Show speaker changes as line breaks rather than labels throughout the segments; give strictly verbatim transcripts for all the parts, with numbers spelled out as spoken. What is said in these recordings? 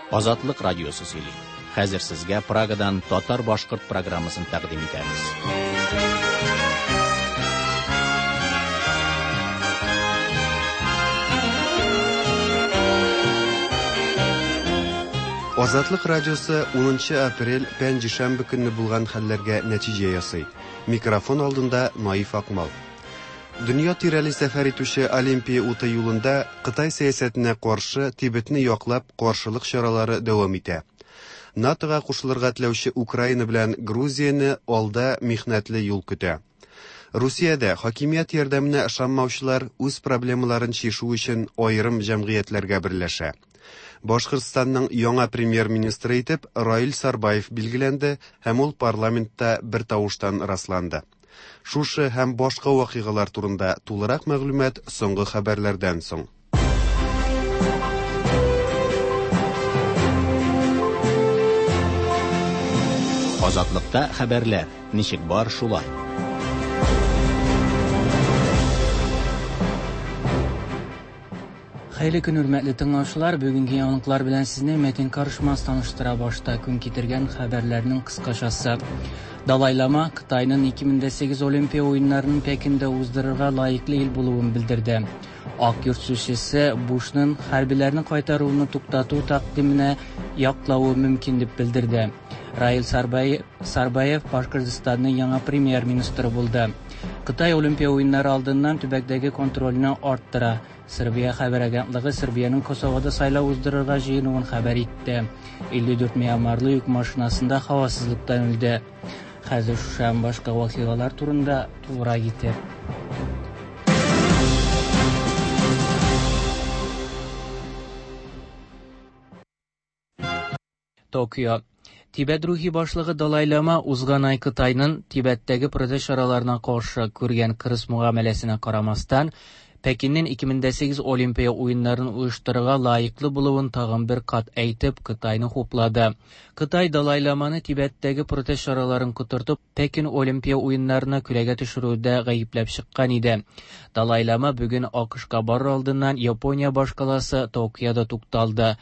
Азатлык радиосы сөйли. Хәзер сезгә Прагадан татар-башкорт программасын тәкъдим итәбез.
Азатлык радиосы унынчы апрель пәнҗешәмбе көнне булган хәлләргә нәтиҗә ясый. Микрофон алдында Наиф Акмал. Дөнья тирәли сәфәр итүче Олимпия уты юлында Кытай сәясәтенә каршы Тибетне яклап каршылык чаралары дәвам итә. НАТОга кушылырга теләүче Украина белән Грузияне алда михнәтле юл көтә. Русиядә хакимият ярдәменә ышанмаучылар үз проблемаларын чишү өчен аерым җәмгыятьләргә берләшә. Башкортстанның яңа премьер-министры итеп Раил Сарбаев билгеләнде һәм ул парламентта бер тавыштан расланды. Шушы һәм башка вакыйгалар турында тулырак мәгълүмат соңгы хәбәрләрдән соң.
Азатлыкта хәбәрләр ничек бар шулай.
Хәерле көн, хөрмәтле тыңлаучылар. Бүгенге яңалыклар белән сезне Мәтин Карышмас таныштыра. Башта көн китергән хәбәрләрнең кыскачасы. Далай Лама Кытайның ике мең дә сигез Олимпия уеннарын Пекинда уздырырга лаеклы ил булуын белдерде. Ак йорт сүзчесе Бушның хәрбиләрне кайтаруны туктату тәкъдименә яклавы мөмкин дип белдерде. Раил Сарбаев Башкортстанның яңа премьер-министры булды. Кытай Олимпия уеннары алдыннан төбәктәге контрольне арттыра. Сербия хәбәр агентлыгы Сербиянең Косовода сайлау уздырырга җыенуын хәбәр итте. илле дүрт мьянмарлы йөк машинасында һавасызлыктан үлде. Хәзер шушы һәм башка вакыйгалар турында тулырак итеп. Токио. Тибет рухи башлыгы Далай Лама узган ай Кытайның Тибеттәге протест чараларына каршы күргән кырыс мөгамәләсенә карамастан, Пекиннең ике мең дә сигез Олимпия уеннарын оештырырга лаеклы булуын тагын бер кат әйтеп, Кытайны хуплады. Кытай Далай Ламаны Тибеттәге протест чараларын котыртып, Пекин Олимпия уеннарына күләгә төшерүдә гаепләп чыккан иде. Далай Лама бүген АКШка барыр алдыннан Япония башкаласы Токиода тукталды.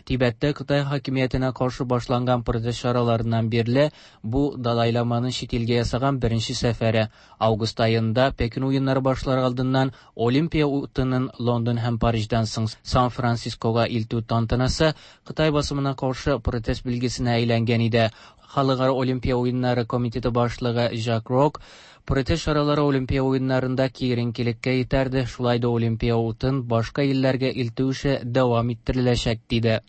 Тибеттә Кытай хакимиятенә каршы башланган протест чараларыннан бирле бу Далай Ламаның чит илгә ясаган беренче сәфәре. Август аенда Пекин уеннары башлар алдыннан Олимпия утының Лондон һәм Париждан соң Сан-Францискога илтү тантанасы Кытай басымына каршы протест билгесенә әйләнгән иде. Халыкара Олимпия уеннары комитеты башлыгы Жак Рок протест чаралары Олимпия уеннарында киеренкелеккә этәрде, шулай да Олимпия утын башка илләргә илтү эше дәвам иттереләчәк, диде.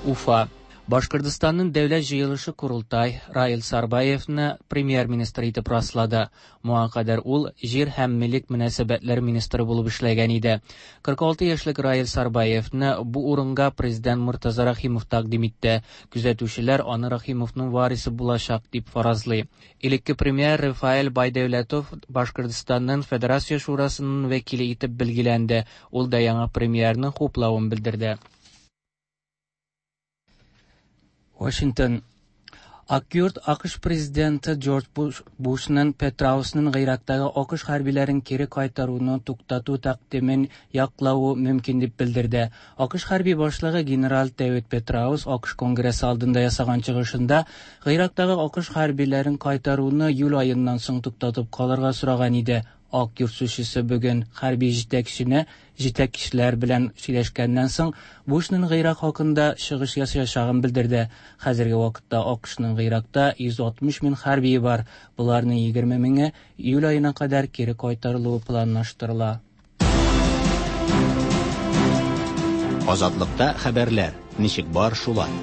Уфа. Башкортстанның дәүләт җыелышы Курултай Раил Сарбаевны премьер-министр итеп раслады. Моңа кадәр ул җир һәм милек мөнәсәбәтләр министры булып эшләгән иде. кырык алты яшьлек Раил Сарбаевны бу урынга президент Муртаза Рахимов тәкъдим итте. Күзәтүчеләр аны Рахимовның варисы булачак дип фаразлый. Элекке премьер Рафаэль Байдәүләтов Башкортстанның Федерация Шурасының вәкиле итеп билгеләнде. Ул да яңа премьерның хуплавын белдерде. Washington. Ак йорт АКШ президенты Джордж Бушның Петраусның Гыйрактагы АКШ хәрбиләрен кире кайтаруны туктату тәкъдимен яклавы мөмкин дип белдерде. АКШ хәрби башлыгы генерал Дэвид Петраус АКШ Конгрессы алдында ясаган чыгышында Гыйрактагы АКШ хәрбиләрен кайтаруны июль аеннан соң туктатып калырга сораган иде. Ак йорт сүзчесе бүген хәрби җитәкчене җитәкчеләр белән сөйләшкәннән соң Бушның Гыйрак хакында чыгыш ясаячагын белдерде. Хәзерге вакытта АКШның Гыйракта йөз алтмыш мең хәрбие бар. Буларның егерме меңе июль аена кадәр кире кайтарылуы планлаштырыла.
Азатлыкта хәбәрләр ничек бар шулай.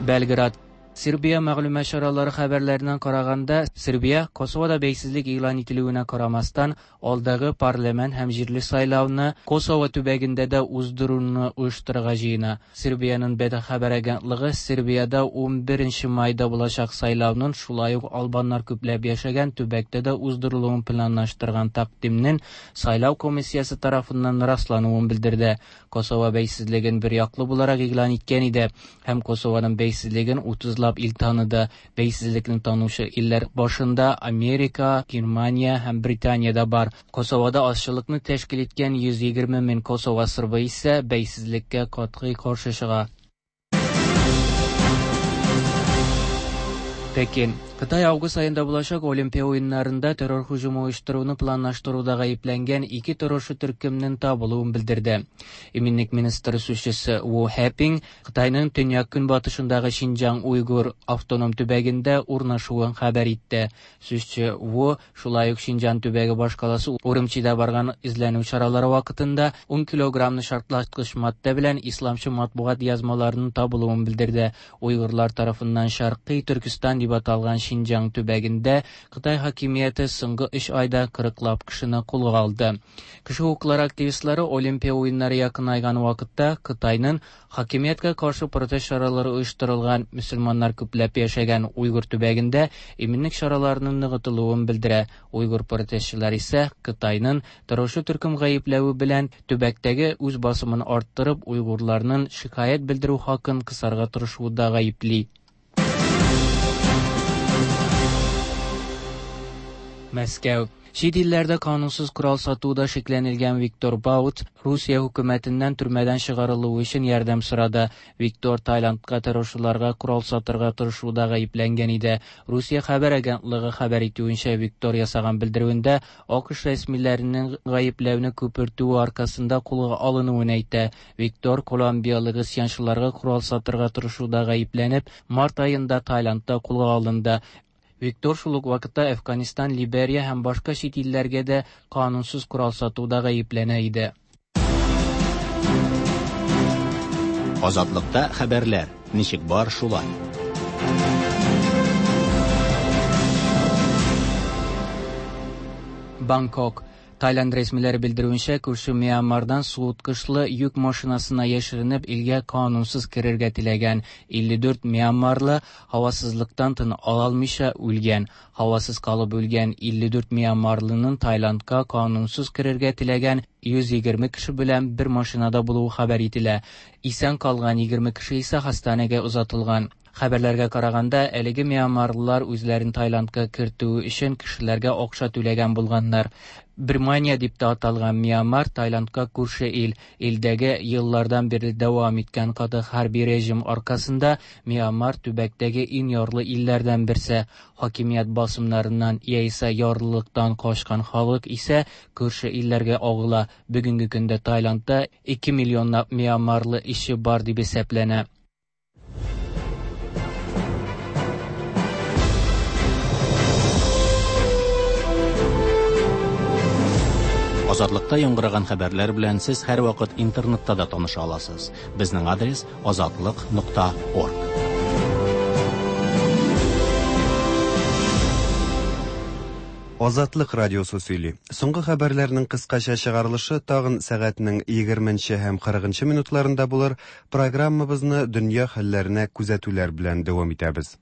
Белград. Сербия мәгълүмат чаралары хәбәрләреннән караганда, Сербия Косовода бәйсезлек игълан ителүенә карамастан, алдагы парламент һәм җирле сайлауны Косово төбәгендә дә уздыруны оештырырга җыена. Сербиянең Бета хәбәр агентлыгы Сербиядә унберенче майда булачак сайлауның шулай ук албаннар күпләп яшәгән төбәктә дә уздырылуын планлаштырган тәкъдимнең сайлау комиссиясе тарафыннан раслануын белдерде. Косово бәйсезлеген бер яклы буларак игълан иткән иде һәм Косованың бәйсезлеген утызлап алтмышлап ил таныды. Бәйсезлекне танучы илләр башында Америка, Германия һәм Британия дә бар. Косовода азчылыкны тәшкил иткән йөз егерме мең Косово сырбы исә бәйсезлеккә катгый каршы чыга. Пекин. Кытай август айында булачак Олимпия уеннарында террор һөҗүме оештыруны планлаштыруда гаепләнгән ике террорчы төркемнең табылуын белдерде. Иминлек министры сүзчесе Ву Хэпин Кытайның төньяк-көнбатышындагы Шинҗаң Уйгур автоном төбәгендә урнашуын хәбәр итте. Сүзче Ву шулай ук Шинҗаң төбәге башкаласы Урумчида барган эзләнү чаралары вакытында ун килограммны шартлаткыч матдә белән исламчы матбугат язмаларының табылуын белдерде. Уйгырлар тарафыннан Шаркый Төркестан дип аталган Шинҗаң төбәгендә Кытай хакимияте соңгы өч айда кырыклап кешене кулга алды. Кеше хокуклары активистлары Олимпия уеннары якынайган вакытта Кытайның хакимияткә каршы протест чаралары оештырылган мөселманнар күпләп яшәгән Уйгур төбәгендә иминлек чараларының ныгытылуын белдерә. Уйгур протестчылар исә Кытайның террорчы төркем гаепләве белән төбәктәге үз басымын арттырып, уйгурларның шикаять белдерү хакын кысарга тырышуында гаепли. Мәскәү. Чит илләрдә канунсыз корал сатуда шикләнелгән Виктор Баут Русия хөкүмәтеннән төрмәдән чыгарылуы өчен ярдәм сорады. Виктор Таиландка террорчыларга корал сатырга тырышуда гаепләнгән иде. Русия хәбәр агентлыгы хәбәр итүенчә, Виктор ясаган белдерүендә АКШ рәсмиләренең гаепләүне күпертүе аркасында кулга алынуын әйтә. Виктор колумбиялы гыйсьянчыларга корал сатырга тырышуда гаепләнеп, март аенда Таиландта кулга алынды. Виктор шул ук вакытта Афганистан, Либерия һәм башка чит илләргә дә канунсыз корал сатуда гаепләнә иде.
Азатлыкта хәбәрләр ничек бар шулай.
Бангкок. Таиланд рәсмиләре белдерүенчә, күрше Мьянмардан суыткычлы йөк машинасына яшеренеп илгә канунсыз керергә теләгән илле дүрт мьянмарлы һавасызлыктан тын ала алмыйча үлгән. Һавасыз калып үлгән илле дүрт мьянмарлының Таиландка канунсыз керергә теләгән йөз егерме кеше белән бер машинада булуы хәбәр ителә. Исән калган егерме кеше исә хастаханәгә озатылган. Хәбәрләргә караганда, әлеге мьянмарлылар үзләрен Таиландка кертү өчен кешеләргә акча түләгән булганнар. Бирмания дип тә аталган Мьянмар Таиландка күрше ил. Илдәге еллардан бирле дәвам иткән каты хәрби режим аркасында Мьянмар төбәктәге иң ярлы илләрдән берсе. Хакимият басымнарыннан яисә ярлылыктан качкан халык исә күрше илләргә агыла. Бүгенге көндә Таиландта ике миллионлап мьянмарлы ише бар дип исәпләнә.
Азатлыкта яңгыраган хәбәрләр белән сез һәр вакыт интернетта да таныша аласыз. Безнең адрес азатлык нокта орг.
Азатлык радиосы сөйли. Соңгы хәбәрләрнең кыскача чыгарылышы тагын сәгатьнең егерменче һәм кырыгынчы минутларында булыр. Программабызны дөнья хәлләренә күзәтүләр белән дәвам итәбез.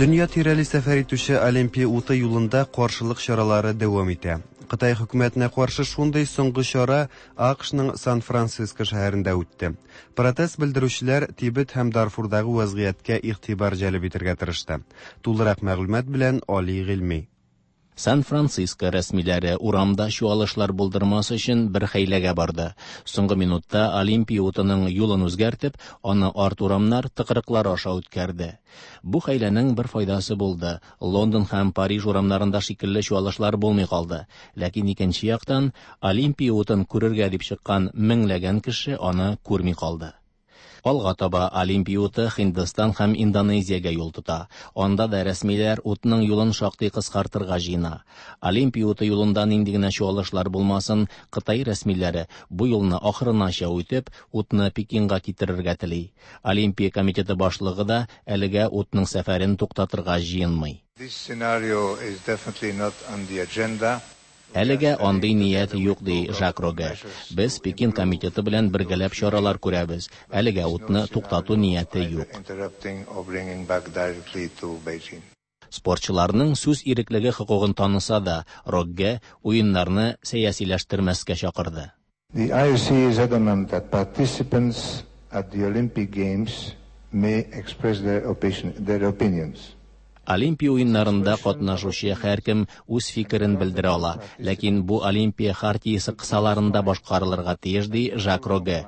Дөнья тирәли сәфәр итүче Олимпия уты юлында каршылык чаралары дәвам итә. Кытай хөкүмәтенә каршы шундый соңгы чара АКШның Сан-Франциско шәһәрендә үтте. Протест белдерүчеләр Тибет һәм Дарфурдагы вазгыятькә игътибар җәлеп итәргә тырышты. Тулырак мәгълүмат белән Али Гыйльми.
Сан-Франциско рәсмиләре урамда чуалышлар булдырмас өчен бер хәйләгә барды. Соңгы минутта Олимпия утының юлын үзгәртеп, аны арт урамнар тыкрыклар аша үткәрде. Бу хәйләнең бер файдасы булды. Лондон һәм Париж урамнарында шикелле чуалышлар булмый калды. Ләкин икенче яктан Олимпия утын күрергә дип чыккан меңләгән кеше аны күрми калды. Алга таба Олимпия уты Һиндстан һәм Индонезиягә юл тота. Анда да рәсмиләр утның юлын шактый кыскартырга җыена. Олимпия уты юлында нинди генә чуалышлар булмасын, Кытай рәсмиләре бу юлны ахырынача үтеп, утны Пекинга китерергә тели. Олимпия комитеты башлыгы да әлегә утның сәфәрен туктатырга җыенмый.
This scenario is definitely not on the agenda.
Әлегә андый ният юк, ди Жак Рогге. Без Пекин комитеты белән бергәләп чаралар күрәбез. Әлегә утны туктату нияте юк. Спортчыларның сүз иреклеге хокукын таныса да, Рогге уеннарны сәясиләштермәскә чакырды.
The I O C is adamant that participants at the Olympic Games may express their opinion, their opinions.
Олимпия уеннарында катнашучы һәркем үз фикерен белдерә ала, ләкин бу Олимпия хартиясе кысаларында башкарылырга тиеш, ди Жак Рогге.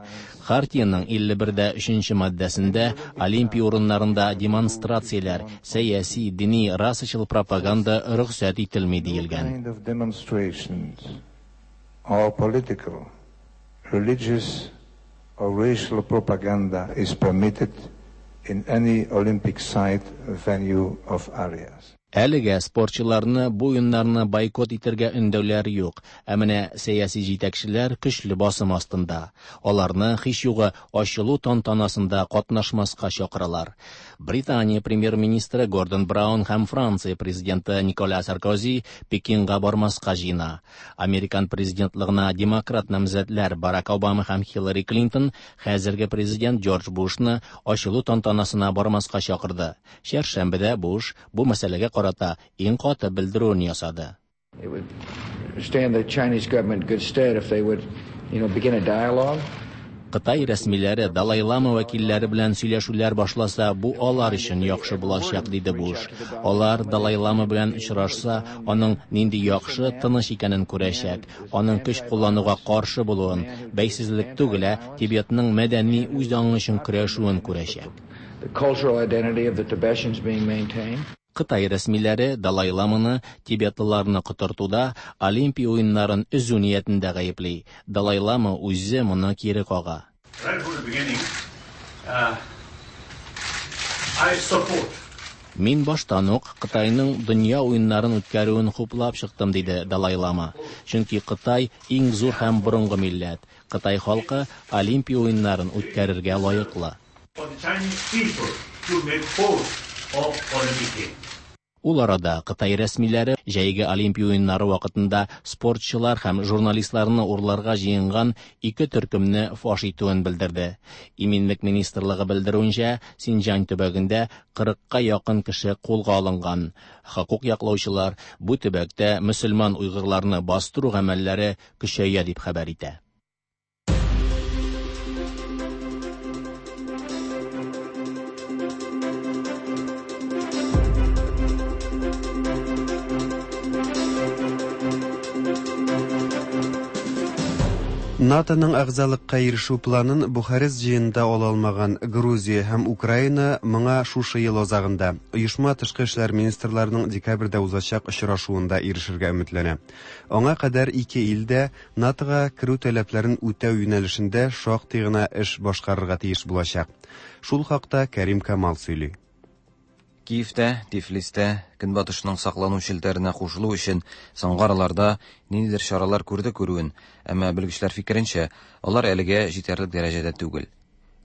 Хартияның илле бердә өченче маддәсендә Олимпия урыннарында демонстрацияләр, сәяси, дини, расачыл пропаганда рөхсәт ителми диелгән.
Kind of demonstrations or political, religious or racial propaganda is permitted in any Olympic site, venue of areas.
Әлегә спортчыларны бу уеннарны бойкот итәргә өндәүләр юк, ә менә сәяси җитәкчеләр көчле басым астында. Аларны һич югы ачылу тантанасында катнашмаска чакыралар. Британия премьер-министры Гордон Браун һәм Франция президенты Николя Саркози Пекинга бармаска җыена. Американ президентлыгына демократ намзәтләр Барак Обама һәм Хиллари Клинтон хәзерге президент Джордж Бушны ачылу тантанасына бармаска чакырды. Чәршәмбедә Буш бу мәсьәләгә карата иң каты белдерүен ясады.
It would stand the Chinese government in good stead if they would, you know, begin a dialogue.
Кытай рәсмиләре Далай-Лама вәкилләре белән сөйләшүләр башласа, бу алар өчен яхшы булачак, диде Буш. Алар Далай-Лама белән очрашса, аның нинди яхшы, тыныч икәнен күрәчәк, аның көч куллануга каршы булуын, бәйсезлек түгел, ә Тибетның мәдәни үз аңы өчен көрәшүен күрәчәк.
The cultural identity of the Tibetans being maintained.
Кытай рәсмиләре Далай-Ламаны тибетлыларны котыртуда Олимпия уеннарын өзү ниятендә гаепли. Далай-Лама үзе моны кире кага.
Right from the beginning, uh, I support.
Мин баштан ук Кытайның дөнья уеннарын үткәрүен хуплап чыктым, диде Далай-Лама. Чөнки Кытай иң зур һәм борынгы милләт. Кытай халкы Олимпия уеннарын үткәрергә лаеклы.
For the Chinese people to make host of Olympic Games.
Ул арада Кытай рәсмиләре җәйге Олимпия уеннары вакытында спортчылар һәм журналистларны урларга җыенган ике төркемне фаш итүен белдерде. Иминлек министрлыгы белдерүенчә, Синҗан төбәгендә кырыкка якын кеше кулга алынган. Хокук яклаучылар бу төбәктә мөселман уйгырларны бастыру гамәлләре көчәя дип хәбәр итә.
НАТОның әгъзалыкка ирешү планын Бухарест җыенында ала алмаган Грузия һәм Украина моңа шушы ел азагында оешма тышкы эшләр министрларының декабрьдә узачак очрашуында ирешергә өметләнә. Аңа кадәр ике ил дә НАТОга керү таләпләрен үтәү юнәлешендә шактый гына эш башкарырга тиеш булачак. Шул хакта Кәрим Камал сөйли.
Киевтә, Тифлистә Көнбатышның саклану челтәренә кушылу өчен соңгы араларда ниндидер чаралар күрде күрүен, әмма белгечләр фикеренчә, алар әлегә җитәрлек дәрәҗәдә түгел.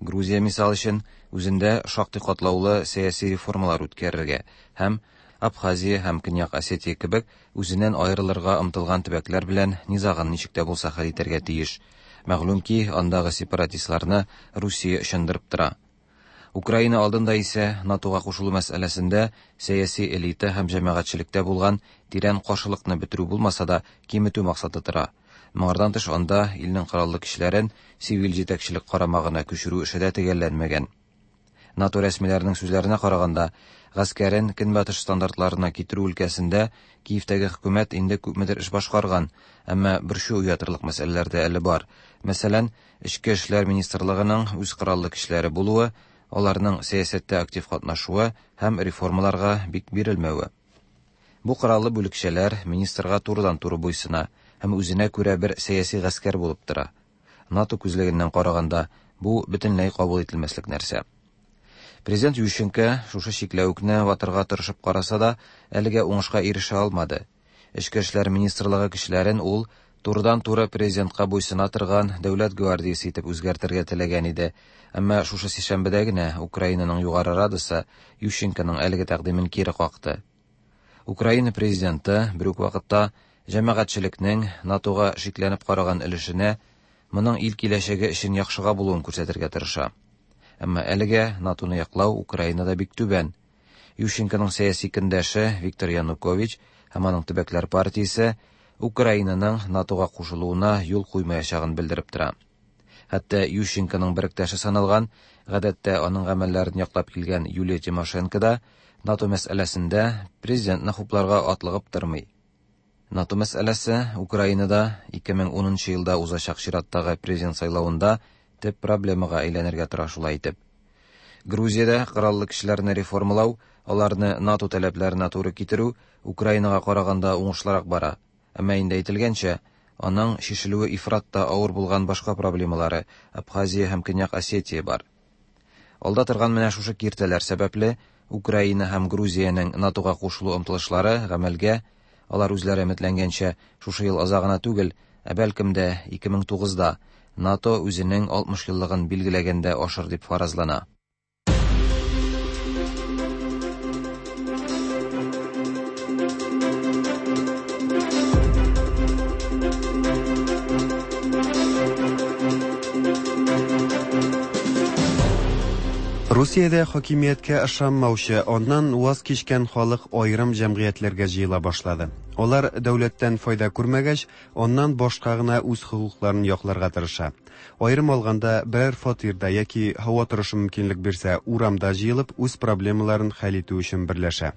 Грузия мисал өчен үзендә шактый катлаулы сәяси реформалар үткәрергә һәм Абхазия һәм Көньяк Осетия кебек үзеннән аерылырга омтылган төбәкләр белән низагын ничек тә булса хәл итәргә тиеш. Мәгълүм ки, андагы сепаратистларны Русия ышандырып тора. Украина алдында исә НАТОга кушылу мәсьәләсендә сәяси элита һәм җәмәгатьчелектә булган тирән каршылыкны бетерү булмаса да киметү максаты тора. Моңардан тыш анда илнең кораллы көчләрен сивил җитәкчелек карамагына күчерү эше дә төгәлләнмәгән. НАТО рәсмиләренең сүзләренә караганда, гаскәрен көнбатыш стандартларына китерү өлкәсендә Киевтәге хөкүмәт инде күпмедер эш башкарган, әмма борчу уятырлык мәсьәләләр дә әле бар. Мәсәлән, Эчке эшләр министрлыгының үз кораллы көчләре булуы, аларның сәясәттә актив катнашуы һәм реформаларга бик бирелмәве. Бу кораллы бүлекчәләр министрга турыдан-туры буйсына һәм үзенә күрә бер сәяси гаскәр булып тора. НАТО күзлегеннән караганда бу бөтенләй кабул ителмәслек нәрсә. Президент Ющенко шушы чикләвекне ватырга тырышып караса да, әлегә уңышка ирешә алмады. Эчке эшләр министрлыгы кешеләрен ул турыдан-туры президентка буйсына торган дәүләт гвардиясе итеп үзгәртергә теләгән иде. Әмма шушы сишәмбедә генә Украинаның югары радасы Ющенконың әлеге тәкъдимен кире какты. Украина президенты бер үк вакытта Җәмәгатьчелекнең НАТОга шикләнеп караган өлешенә моның ил киләчәге өчен яхшыга булуын күрсәтергә тырыша. Әмма әлегә НАТОны яклау Украинада бик түбән. Ющенконың сәяси көндәше Виктор Янукович һәм аның төбәкләр партиясе Украинаның НАТОга кушылуына юл куймаячагын белдереп тора. Хәтта Ющенконың беректәше саналган, гадәттә аның гамәлләрен яклап килгән Юлия Тимошенко да НАТО мәсьәләсендә президентны хупларга атлыгып тормый. НАТО мәсьәләсе Украинада ике мең унынчы елда узачак чираттагы президент сайлавында төп проблемага әйләнергә тора шулай итеп. Грузиядә кораллы көчләрне реформалау, аларны НАТО таләпләренә туры китерү Украинага караганда уңышлырак бара. Әмма инде әйтелгәнчә, аның шешелүе ифрат та авыр булган башка проблемалары Абхазия һәм Көньяк Осетия бар. Алда торган менә шушы киртәләр сәбәпле Украина һәм Грузиянең НАТОга кушылу омтылышлары гамәлгә, алар үзләре өметләнгәнчә, шушы ел азагына түгел, ә бәлкем дә ике мең тугызда НАТО үзенең алтмыш еллыгын билгеләгәндә ашыр дип фаразлана.
Русиядә хакимияткә ышанмаучы, аннан ваз кичкән халык аерым җәмгыятьләргә җыела башлады. Алар дәүләттән файда күрмәгәч, аннан башка гына үз хокукларын якларга тырыша. Аерым алганда, берәр фатирда яки һава торышы мөмкинлек бирсә, урамда җыелып, үз проблемаларын хәл итү өчен берләшә.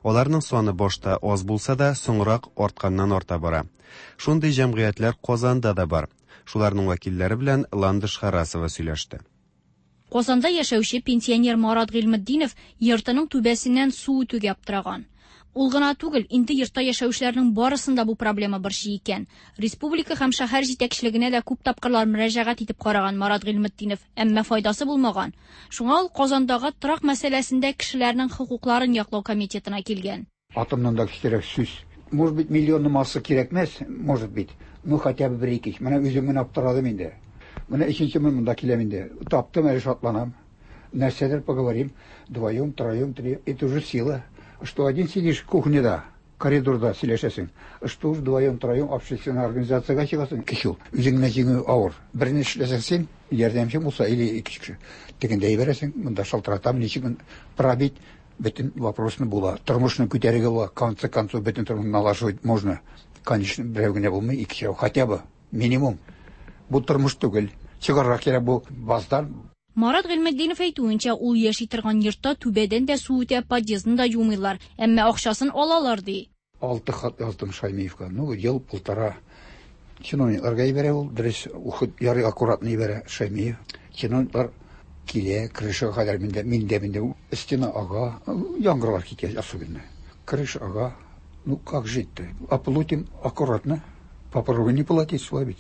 Аларның саны башта аз булса да, соңрак артканнан арта бара. Шундый җәмгыятьләр Казанда да бар. Шуларның вәкилләре белән Ландыш Харасова сөйләште.
Казанда яшәүче пенсионер Марат Гыйльметдинов йортының түбәсеннән су үтүгә аптыраган. Ул гына түгел, инде йортта яшәүчеләрнең барысында бу проблема борчый икән. Республика һәм шәһәр җитәкчелегенә дә күп тапкырлар мөрәҗәгать итеп караган Марат Гыйльметдинов, әмма файдасы булмаган. Шуңа ул Казандагы торак мәсьәләсендә кешеләрнең хокукларын яклау комитетына килгән.
Атомнан да кечерәк сүз. Может быть, миллионны массы кирәкмәс, может быть, ну хотя бы бер ике. Менә үзем генә аптырадым инде. Менә өченче мин монда киләм инде. Таптым, әле шатланам. Нәрсәдер поговорим. Вдвоем, троем, три. Это уже сила. Что один сидишь в кухнеда, коридорда сөйләшәсең. Что уж вдвоем, троем общественная организациягә чыгасың. Кеше ул. Үзең генә җиңү авыр. Берне эшләсәң син, ярдәмчең булса, или ике кеше. Тегендә җибәрәсең, монда шалтыратам, ничек пробить бөтен вопросны була. Тормышны күтәрергә була. Конце концов, бөтен тормышны налаживать можно. Конечно, берәү генә булмый, ике кеше хотя бы минимум. Бу тормыш түгел. Чыгарга кирәк бу баздан.
Марат Гыйльметдинов әйтүенчә, ул яши торган йортта түбәдән дә су үтә, подъездны да юмыйлар, әмма акчасын алалар ди.
Алты хат яздым Шаймиевка. Ну, ел полтора. Чиновникларга җибәрә ул, дөрес, уход ярый аккуратно җибәрә Шаймиев. Чиновниклар килә, крышага кадәр миндә, миндә, миндә стена ага, яңгырлар китә особенно. Крыша ага. Ну, как жить-то? Оплатим аккуратно. Попробуй не платить, слабить.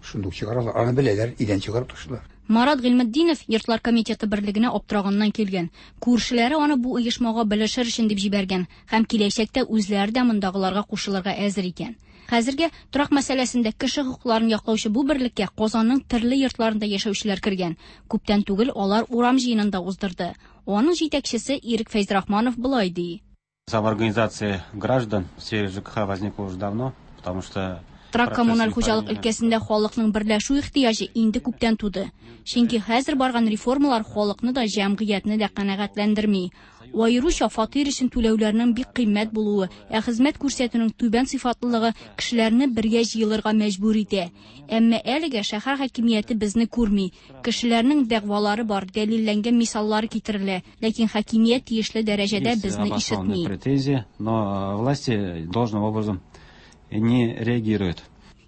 Шундук чыгаралар, аны беләләр, идән чыгарып ташлар.
Марат Гыйльметдинов йортлар комитеты берлегенә аптыраганнан килгән. Күршеләре аны бу оешмага белешер өчен дип җибәргән һәм киләчәктә үзләре дә мондагыларга кушылырга әзер икән. Хәзергә торак мәсьәләсендә кеше хокукларын яклаучы бу берлеккә Казанның төрле йортларында яшәүчеләр кергән. Күптән түгел алар урам җыенын да уздырды. Аның җитәкчесе Ирек Фәйзрахманов болай ди.
Самоорганизация граждан в сфере ЖКХ возникла уже давно, потому что
Торак коммуналь хуҗалык өлкәсендә халыкның берләшү ихтыяҗы инде күптән туды. Чөнки хәзер барган реформалар халыкны да, җәмгыятьне дә канәгатьләндерми. Аеруча фатир өчен түләүләрнең бик кыйммәт булуы, ә хезмәт күрсәтүнең түбән сыйфатлылыгы кешеләрне бергә җыелырга мәҗбүр итә. Әмма әлегә шәһәр хакимияте безне күрми. Кешеләрнең дәгъвалары бар, дәлилләнгән мисаллар китерелә, ләкин хакимият тиешле дәрәҗәдә безне ишетми.
Претензии, но власти должным образом не реагируют.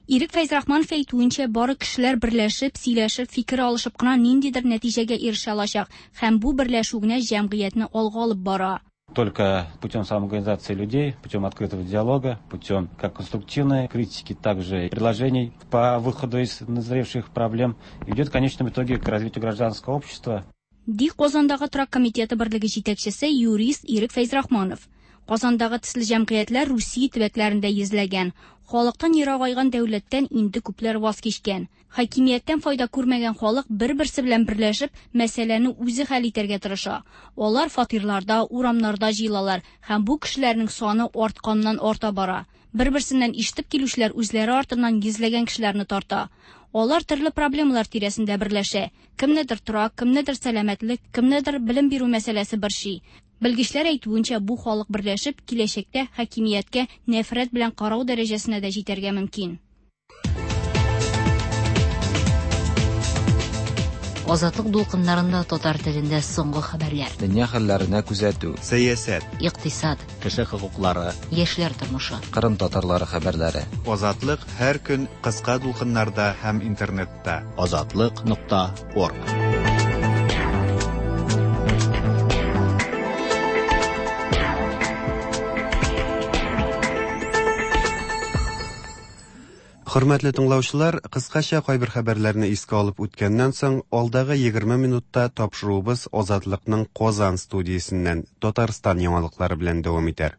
Ирек Фәйзрахманов әйтүенчә, бары кешеләр берләшеп, сөйләшеп, фикер алышып кына ниндидер нәтиҗәгә ирешә алачак һәм бу берләшү генә җәмгыятьне алга алып бара.
Только путем самоорганизации людей, путем открытого диалога, путем как конструктивной критики, также предложений по выходу из назревших проблем идет в конечном итоге к развитию гражданского общества.
Ди Казандагы торак комитеты берлеге җитәкчесе юрист Ирек Фәйзрахманов. Казандагы төсле җәмгыятьләр Русия төбәкләрендә йөзләгән. Халыктан ерагайган дәүләттән инде күпләр ваз кичкән. Хакимияттән файда күрмәгән халык бер-берсе белән берләшеп, мәсьәләне үзе хәл итәргә тырыша. Алар фатирларда, урамнарда җыелалар һәм бу кешеләрнең саны артканнан арта бара. Бер-берсеннән ишетеп килүчеләр үзләре артыннан йөзләгән кешеләрне тарта. Алар төрле проблемалар тирәсендә берләшә. Кемнедер торак, кемнедер сәламәтлек, кемнедер белем бирү мәсьәләсе борчый. Белгечләр әйтүенчә, бу халык берләшеп, киләчәктә хакимияткә нәфрәт белән карау дәрәҗәсенә дә җитәргә мөмкин.
Азатлык дулкыннарында татар телендә соңгы хәбәрләр.
Дөнья хәлләренә күзәтү.
Сәясәт.
Икътисад.
Кеше хокуклары.
Яшьләр тормышы.
Кырым татарлары хәбәрләре.
Азатлык һәр көн кыска дулкыннарда һәм интернетта.
Азатлык нокта орг.
Хөрмәтле тыңлаучылар, кыскача кайбер хәбәрләрне искә алып үткәннән соң, алдагы егерме минутта тапшыруыбыз Азатлыкның Казан студиясеннән Татарстан яңалыклары белән дәвам итәр.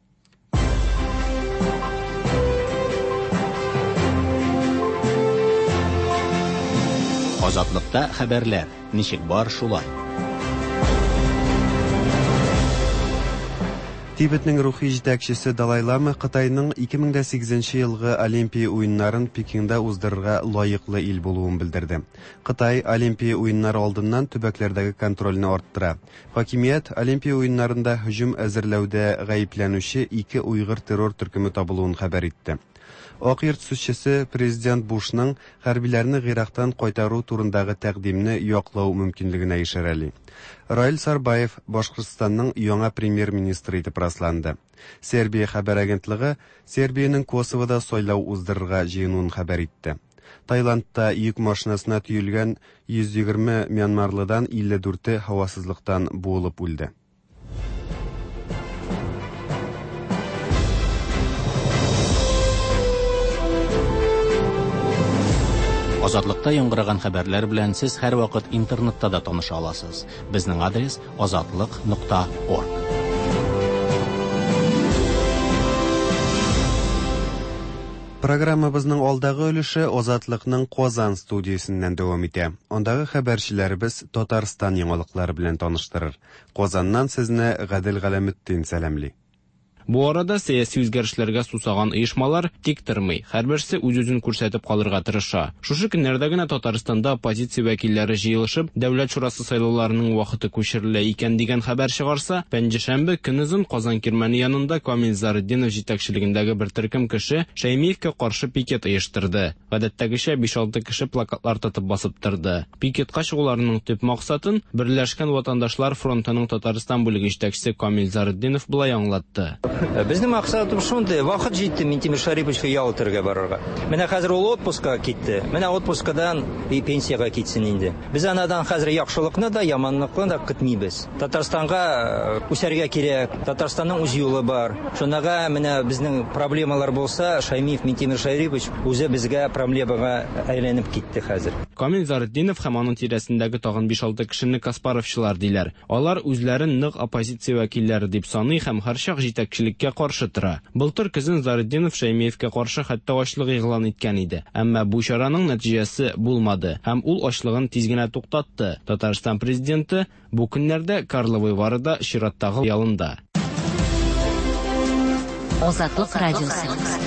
Азатлыкта хәбәрләр ничек бар шулай.
Тибетнең рухи җитәкчесе Далай Лама Кытайның ике мең дә сигезенче елгы Олимпия уеннарын Пекинда уздырырга лаеклы ил булуын белдерде. Кытай Олимпия уеннары алдыннан төбәкләрдәге контрольне арттыра. Хакимият Олимпия уеннарында һөҗүм әзерләүдә гаепләнүче ике уйгыр террор төркеме табылуын хәбәр итте. Ак йорт сүзчесе президент Бушның хәрбиләрне Гыйрактан кайтару турындагы тәкъдимне яклау мөмкинлегенә ишарәли. Раил Сарбаев Башкортстанның яңа премьер-министры итеп расланды. Сербия хәбәр агентлыгы Сербиянең Косовода сайлау уздырырга җыенуын хәбәр итте. Таиландта йөк машинасына төелгән йөз егерме мьянмарлыдан илле дүрте һавасызлыктан буылып үлде.
Азатлыкта яңгыраган хәбәрләр белән сез һәр вакыт интернетта да таныша аласыз. Безнең адрес азатлык нокта орг.
Программабызның алдагы өлеше Азатлыкның Казан студиясеннән дәвам итә. Андагы хәбәрчеләребез Татарстан яңалыклары белән таныштырыр. Казаннан сезне Гадел Галәметдин сәламли.
Бу арада сәяси үзгәрешләргә сусаган оешмалар тик тормый, һәрберсе үз-үзен күрсәтеп калырга тырыша. Шушы көннәрдә генә Татарстанда оппозиция вәкилләре җыелышып, Дәүләт шурасы сайлауларының вакыты күчерелә икән дигән хәбәр чыгарса, пәнҗешәмбе көнозын Казан кирмәне янында Камил Заретдинов җитәкчелегендәге бер төркем кеше Шәймиевкә каршы пикет оештырды. Гадәттәгечә биш-алты кеше плакатлар тотып басып торды. Пикетка чыгуларының төп максатын Берләшкән ватандашлар фронтының Татарстан бүлеге җитәкчесе Камил Заретдинов болай аңлатты.
Безнең максатыбыз шундый, вакыт җитте Минтимер Шариповичка ял итәргә барырга. Менә хәзер ул отпускка китте. Менә отпускадан и пенсиягә китсен инде. Без анадан хәзер яхшылыкны да, яманлыкны да көтмибез. Татарстанга үсәргә кирәк. Татарстанның үз юлы бар. Шунага менә безнең проблемалар булса, Шаймиев Минтимер Шарипович үзе безгә проблемага әйләнеп китте хәзер.
Камил Заретдинов һәм аның тирәсендәге тагын биш-алты кешене Каспаровчылар диләр. Алар үзләрен нык оппозиция вәкилләре дип саный һәм һәрчак җитәкчелеккә каршы тора. Былтыр көзен Заретдинов Шәймиевкә каршы хәтта ачлык игълан иткән иде. Әмма бу чараның нәтиҗәсе булмады һәм ул ачлыгын тиз генә туктатты. Татарстан президенты бу көннәрдә Карловый Варыда чираттагы ялында.
Азатлык радиосы.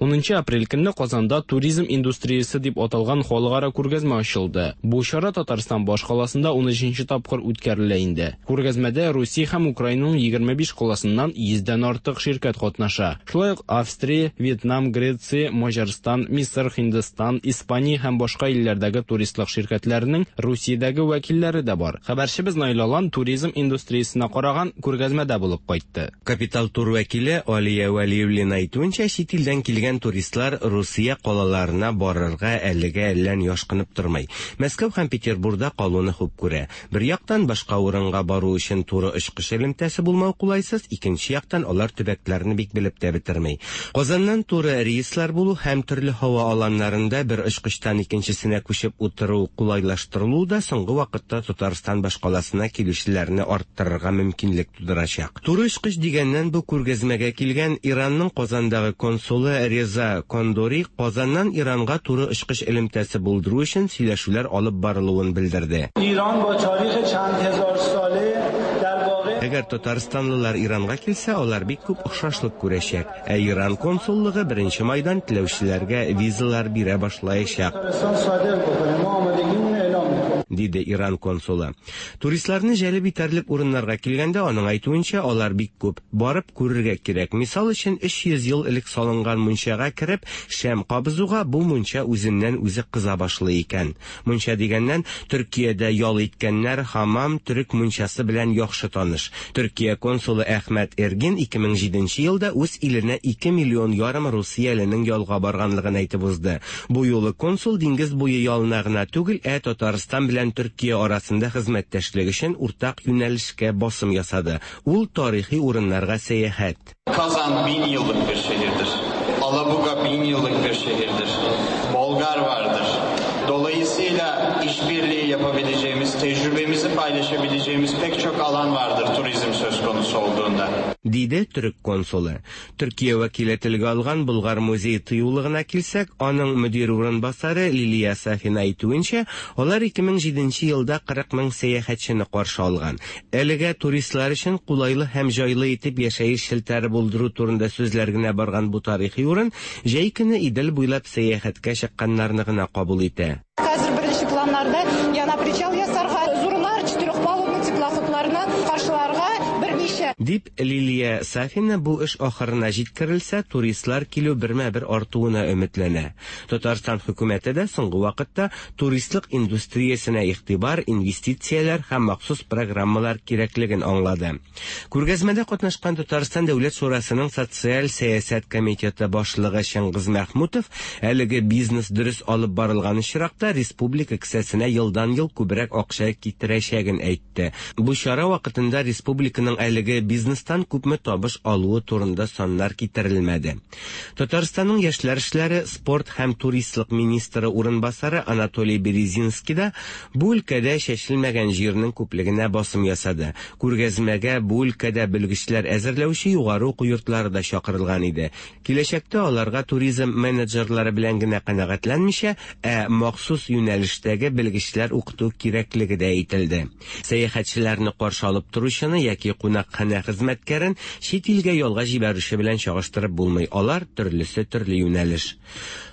Унынчы апрель көнне Казанда туризм индустриясе дип аталган халыкара күргәзмә ачылды. Бу чара Татарстан башкаласында ун өченче тапкыр үткәрелә инде. Күргәзмәдә Русия һәм Украинаның егерме биш каласыннан йөздән артык ширкәт катнаша. Шулай ук Австрия, Вьетнам, Греция, Маҗарстан, Мисыр, Һиндстан, Испания һәм башка илләрдәге туристлык ширкәтләренең Русиядәге вәкилләре дә бар. Хәбәрчебез Наил Алан туризм индустриясенә караган күргәзмәдә булып кайтты.
Капитал тур вәкиле Алия Вәлиуллина әйтүенчә, чит илдән килгән килгән туристлар Русия калаларына барырга әлегә әллә ни ашкынып тормый. Мәскәү һәм Петербургда калуны хуп күрә. Бер яктан башка урынга бару өчен туры очкыч элемтәсе булмау кулайсыз, икенче яктан алар төбәкләрне бик белеп тә бетерми. Казаннан туры рейслар булу һәм төрле һава аланнарында бер очкычтан икенчесенә күчеп утыру кулайлаштырылу да соңгы вакытта Татарстан башкаласына килүчеләрне арттырырга мөмкинлек тудырачак. Туры очкыч дигәннән, бу күргәзмәгә килгән Иранның Казандагы консулы Реза Кондори Казаннан Иранга туры очкыч элемтәсе булдыру өчен сөйләшүләр алып барылуын белдерде. Әгәр татарстанлылар Иранга килсә, алар бик күп охшашлык күрәчәк. Ә Иран консуллыгы беренче майдан теләүчеләргә визалар бирә башлаячак, диде Иран консулы. Туристларны җәлеп итәрлек урыннарга килгәндә, аның әйтүенчә, алар бик күп. Барып күрергә кирәк. Мисал өчен, өч йөз ел элек салынган мунчага кереп, шәм кабызуга бу мунча үзеннән үзе кыза башлый икән. Мунча дигәннән, Төркиядә ял иткәннәр хамам төрек мунчасы белән яхшы таныш. Төркия консулы Әхмәт Эргин ике мең җиденче елда үз иленә ике миллион ярым русияленең ялга барганлыгын әйтеп узды. Бу юлы консул диңгез буе ялына гына түгел, ә Татарстан белән Төркия арасында хезмәттәшлек өчен уртак юнәлешкә басым ясады. Ул тарихи урыннарга сәяхәт.
Казан bin yıllık bir şehirdir. Alabuga bin yıllık bir şehirdir. Bolgar vardır. Dolayısıyla işbirliği yapabileceğimiz, tecrübemizi paylaşabileceğimiz pek çok alan vardır turizm söz konusu olduğunda,
диде төрек консулы. Төркия вәкиле телгә алган Болгар музей тыюлыгына килсәк, аның мөдир урынбасары Лилия Сафина әйтүенчә, алар ике мең җиденче елда кырык мең сәяхәтчене каршы алган. Әлегә туристлар өчен кулайлы һәм җайлы итеп яшәеш челтәре булдыру турында сүзләр генә барган бу тарихи урын җәй көне Идел буйлап сәяхәткә чыкканнарны гына кабул итә.
Хәзер беренче планнарда яна причал ясарга, зурлар четырехпалубный теплоходларны каршыларга берничә.
Дип Лилия Сафина бу эш ахырына җиткерелсә, туристлар килү бермә-бер артуына өметләнә. Татарстан хөкүмәте дә соңгы вакытта туристлык индустриясенә игътибар, инвестицияләр һәм махсус программалар кирәклеген аңлады. Күргәзмәдә катнашкан Татарстан Дәүләт Шурасының социаль сәясәт комитеты башлыгы Чыңгыз Мәхмүтов әлеге бизнес дөрес алып барылган очракта республика кесәсенә елдан-ел күбрәк акча китерәчәген әйтте. Бу чара вакытында республиканың әлеге бизнестан күпме табыш алуы турында саннар китерелмәде. Татарстанның яшьләр эшләре, спорт һәм туристлык министры урынбасары Анатолий Березинский да бу өлкәдә чәчелмәгән җирнең күплегенә басым ясады. Күргәзмәгә бу өлкәдә белгечләр әзерләүче югары уку йортлары да чакырылган иде. Киләчәктә аларга туризм менеджерлары белән генә канәгатьләнмичә, ә махсус юнәлештәге белгечләр укыту кирәклеге дә әйтелде. Сәяхәтчеләрне каршы алып торучыны яки кунакханә хезмәткәрен чит илгә ялга җибәрүче белән чагыштырып булмый. Алар төрлесе төрле юнәлеш.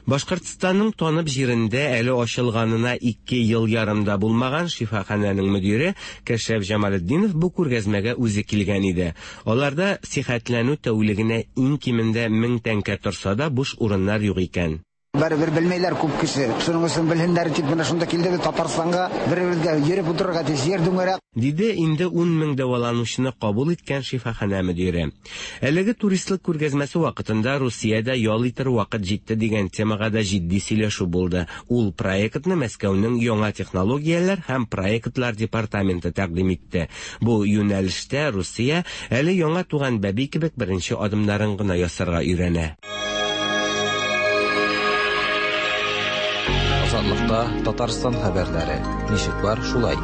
Башкортстанның танып җирендә әле ачылганына ике ел ярымда булмаган шифаханәнең мөдире Кәшәф Җамалетдинов бу күргәзмәгә үзе килгән иде. Аларда сихәтләнү тәүлегенә иң кимендә мең тәңкә торса да буш урыннар юк икән.
Бәрібір білмейлер көп кісі. Соның өсін білгендері тек мына шунда келді де Татарстанға бір-бірге еріп отырырға тез ер дөңгелек.
Диде инде ун мең дәваланучыны кабул иткән шифаханә мөдире. Әлеге туристлык күргәзмәсе вакытында Русиядә ял итер вакыт җитте дигән темага да җитди сөйләшү булды. Ул проектны Мәскәүнең яңа технологияләр һәм проектлар департаменты тәкъдим итте. Бу юнәлештә Русия әле яңа туган бәби кебек беренче адымнарын гына ясарга өйрәнә.
Азатлыкта Татарстан хәбәрләре. Ничек бар, шулай.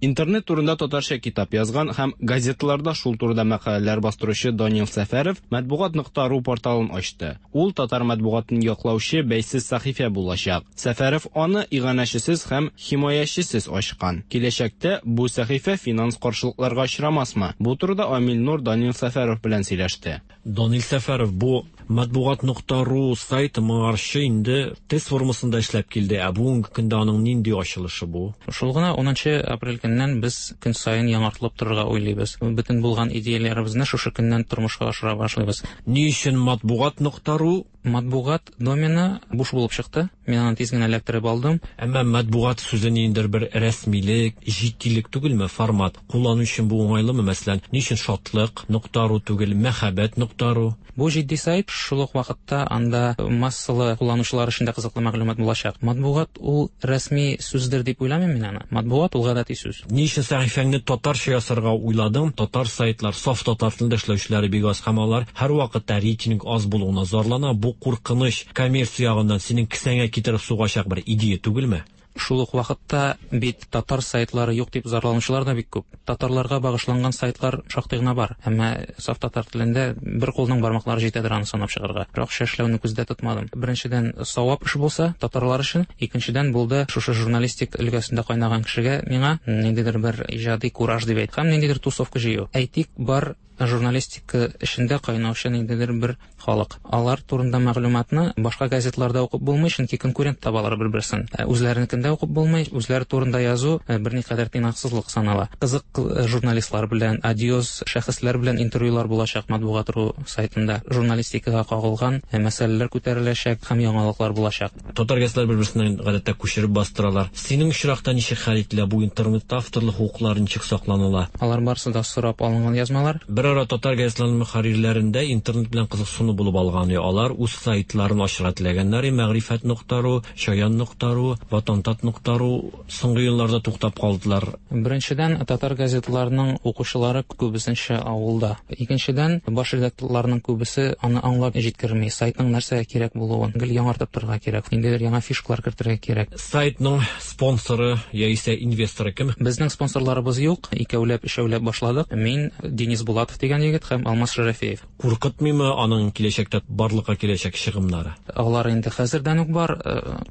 Интернет турында татарча китап язган һәм газеталарда шул турыда мәкаләләр бастыручы Данил Сәфәров матбугат нокта ру порталын ачты. Ул татар матбугатын яклаучы бәйсез сәхифә булачак. Сәфәров аны иганәчесез һәм химаячесез ачкан. Киләчәктә бу сәхифә финанс каршылыкларга очрамасмы? Бу турыда Амил Нур Данил Сәфәров белән сөйләште.
Данил Сәфәров, бу матбугат нокта ру сайты моңарчы инде тест формасында эшләп килде. Ә бүгенге көндә аның нинди ачылышы бу?
Шул гына унынчы апрель көннән без көн саен яңартылып торырга уйлыйбыз. Бөтен булган идеяләребезне шушы көннән тормышка ашыра башлыйбыз.
Ни өчен матбугат нокта ру?
Матбугат домены буш булып чыкты. Мин аны тиз генә эләктереп алдым.
Әмма матбугат сүзе ниндидер бер рәсмилек, җитдилек түгелме, формат? Куллану өчен бу уңайлымы, мәсәлән, ни өчен шатлык нокта ру түгел, мәхәббәт нокта ру?
Бу җитди сайт, шул ук вакытта анда массалы кулланучылар өчен дә кызыклы мәгълүмат булачак. Матбугат ул рәсми сүздер дип уйламыйм мин аны. Матбугат ул гадәти сүз.
Ни өчен сәхифәңне татарча ясарга уйладың? Татар сайтлар, саф татар телендә эшләүчеләре бик аз һәм алар һәрвакытта рейтинг аз булуына зарлана. Бу куркыныч коммерция ягыннан синең кесәңә китереп сугачак бер идея түгелме?
Шул ук вакытта бит татар сайтлары юк дип зарланучылар да бик күп. Татарларга багышланган сайтлар шактый гына бар. Әмма саф татар телендә бер кулның бармаклары җитәдер аны санап чыгарга. Бер акча эшләүне күздә тотмадым. Беренчедән, савап эш булса татарлар өчен, икенчедән булды шушы журналистик өлкәсендә кайнаган кешегә миңа ниндидер бер иҗади кураж дип әйт, һәм ниндидер тусовка җыю. Әйтик, бар журналистика эшендә кайнаучы ниндидер бер халык. Алар турында мәгълүматны башка газетларда укып булмый, чөнки конкурент табалар бер-берсен. Үзләренекендә укып булмый, үзләре турында язу берникадәр тыйнаксызлык санала. Кызык журналистлар белән, одиоз шәхесләр белән интервьюлар булачак Матбугат.ру сайтында. Журналистикага кагылган мәсьәләләр күтәреләчәк һәм яңалыклар булачак.
Татар газетлары бер-берсеннән гадәттә күчереп бастыралар. Синең очракта ничек хәл ителә бу интернетта авторлык хокуклары ничек сакланыла?
Алар барысы да сорап алынган язмалар.
Бер ара татар газетларының мөхәррирләрендә интернет белән кызыксыну булып алган. Алар үз сайтларын ачырга теләгәннәр. Мәгърифәт нокта ру, Чаян нокта ру, Ватантат нокта ру соңгы елларда туктап калдылар.
Беренчедән, татар газетларының укучылары күбесенчә авылда. Икенчедән, баш редакторларның күбесе аны аңлап җиткерми. Сайтның нәрсәгә кирәк булуын гел яңартып торырга кирәк. Ниндидер яңа фишкалар кертергә кирәк.
Сайтның спонсоры яисә инвесторы кем?
Безнең спонсорларыбыз юк. Икәүләп, өчәүләп башладык. Мин, Денис Булатов дигән егет һәм Алмаз Шәрәфиев.
Куркытмыймы аның киләчәктә барлыкка киләчәк чыгымнары?
Алар инде хәзердән үк бар.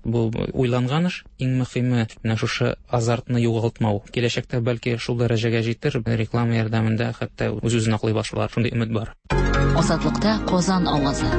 Бу уйланган эш. Иң мөһиме менә шушы азартны югалтмау. Киләчәктә бәлки шул дәрәҗәгә җитер, реклама ярдәмендә хәтта үз-үзен аклый башлар. Шундый өмет бар.
Азатлыкта Казан авазы.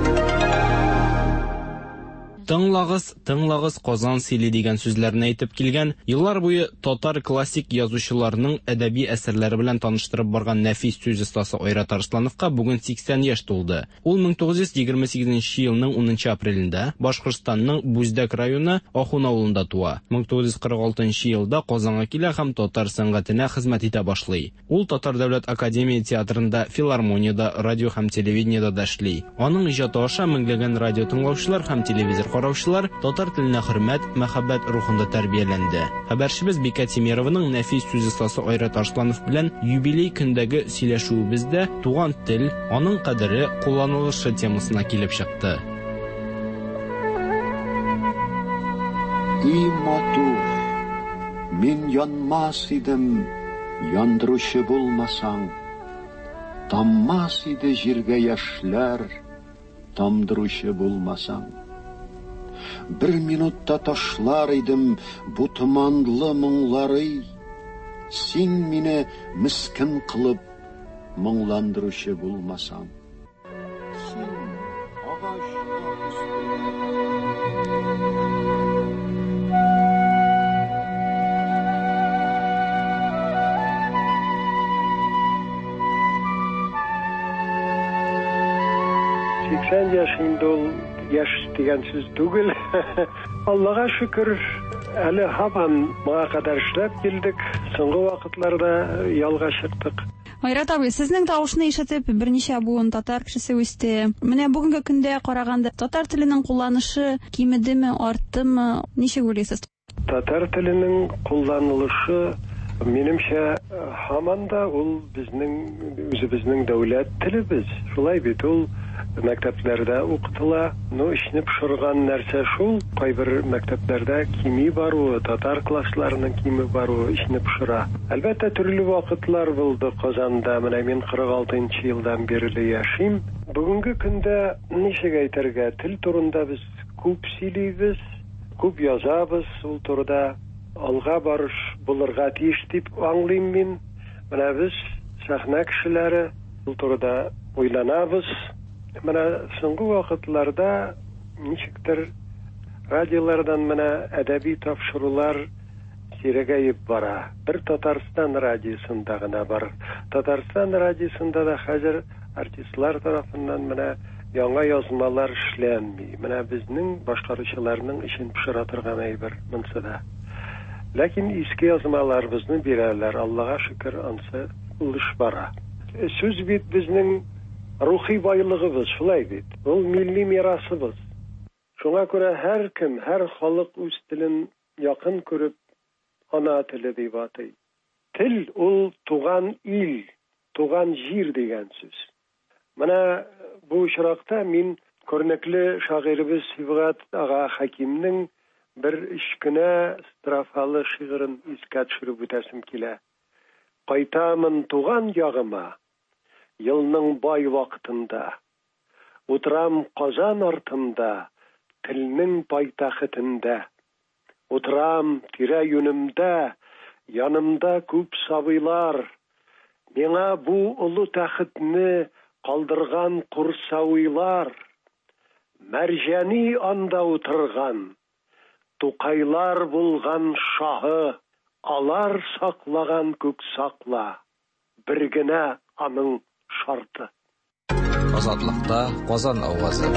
Тыңлагыз, тыңлагыз Казан сөйли дигән сүзләрне әйтеп килгән, еллар буе татар классик язучыларының әдәби әсәрләре белән таныштырып барган нәфис сүз остасы Айрат Арслановка бүген сиксән яшь тулды. Ул мең тугыз йөз егерме сигезенче елның унынчы апрелендә Башкортстанның Бүздәк районы Ахун авылында туа. мең тугыз йөз кырык алтынчы елда Казанга килә һәм татар сәнгатенә хезмәт итә башлый. Ул Татар дәүләт академия театрында, филармониядә, радио һәм телевидениедә дә эшли. Аның иҗаты аша меңләгән радио тыңлаучылар һәм телевизор караучылар татар теленә хөрмәт, мәхәббәт рухында тәрбияләнде. Хәбәрчебез Бикә Тимированың нәфис сүз остасы Айрат Арсланов белән юбилей көндәге сөйләшүебездә туган тел, аның кадере, кулланылышы темасына килеп чыкты.
И матур, мин янмас идем, яндыручы булмасаң, таммас иде җиргә яшьләр, тамдыручы булмасаң. Бер минутта ташлар идем бу томанлы моңлары, син мине мискен кылып моңландыручы булмасаң. Син агач
Сиксән яшь инде ул яшь дигән сүз түгел. Аллага шөкер, әле һаман моңа кадәр эшләп килдек. Соңгы вакытларда ялга чыктык.
Айрат абый, сезнең тавышны ишетеп, берничә буын татар кешесе үсте. Менә бүгенге көндә караганда татар теленең кулланышы кимедеме, арттымы? Ничек уйлыйсыз?
Татар теленең кулланылышы минемчә һаман да ул безнең үзебезнең дәүләт телебез. Шулай бит ул мәктәпләрдә укытыла. Ну, эшне пошырган нәрсә шул, кайбер мәктәпләрдә кими баруы, татар классларының кими баруы эшне пошыра. Әлбәттә, төрле вакытлар булды Казанда. Менә мин кырык алтынчы елдан бирле яшим. Бүгенге көндә ничек әйтергә, тел турында без күп сөйлибез, күп язабыз, ул турыда алга барыш булырга тиеш дип аңлыйм мин. Менә без сәхнә кешеләре ул турыда уйланабыз. Менә соңгы вакытларда ничектер радиолардан менә әдәби тапшырулар сирәгәеп бара. Бер Татарстан радиосында гына бар. Татарстан радиосында да хәзер артистлар тарафыннан менә яңа язмалар эшләнми. Менә безнең башкаручыларның эшен пошыра торган әйбер монысы да. Ләкин иске язмаларыбызны бирәләр. Аллага шөкер, ансы ул эш бара. Сүз бит безнең рухи байлыгыбыз, шулай бит. Ул милли мирасыбыз. Шуңа күрә һәркем, һәр халык үз телен якын күреп, ана теле дип атый. Тел ул туган ил, туган җир дигән сүз. Менә бу очракта мин күренекле шагыйребез Сибгат ага Хәкимнең бер өч кенә строфалы шигырен искә төшереп үтәсем килә. Кайтамын туган ягыма, елның бай вакытында. Утырам Казан артында, телнең пайтәхетендә. Утырам тирә-юнемдә, янымда күп сабыйлар. Миңа бу олы тәхетне калдырган курсавыйлар. Мәрҗани анда утырган, Тукайлар булган шаһы, алар саклаган күк сакла, бер генә аның шарты.
Азатлыкта Казан авазы.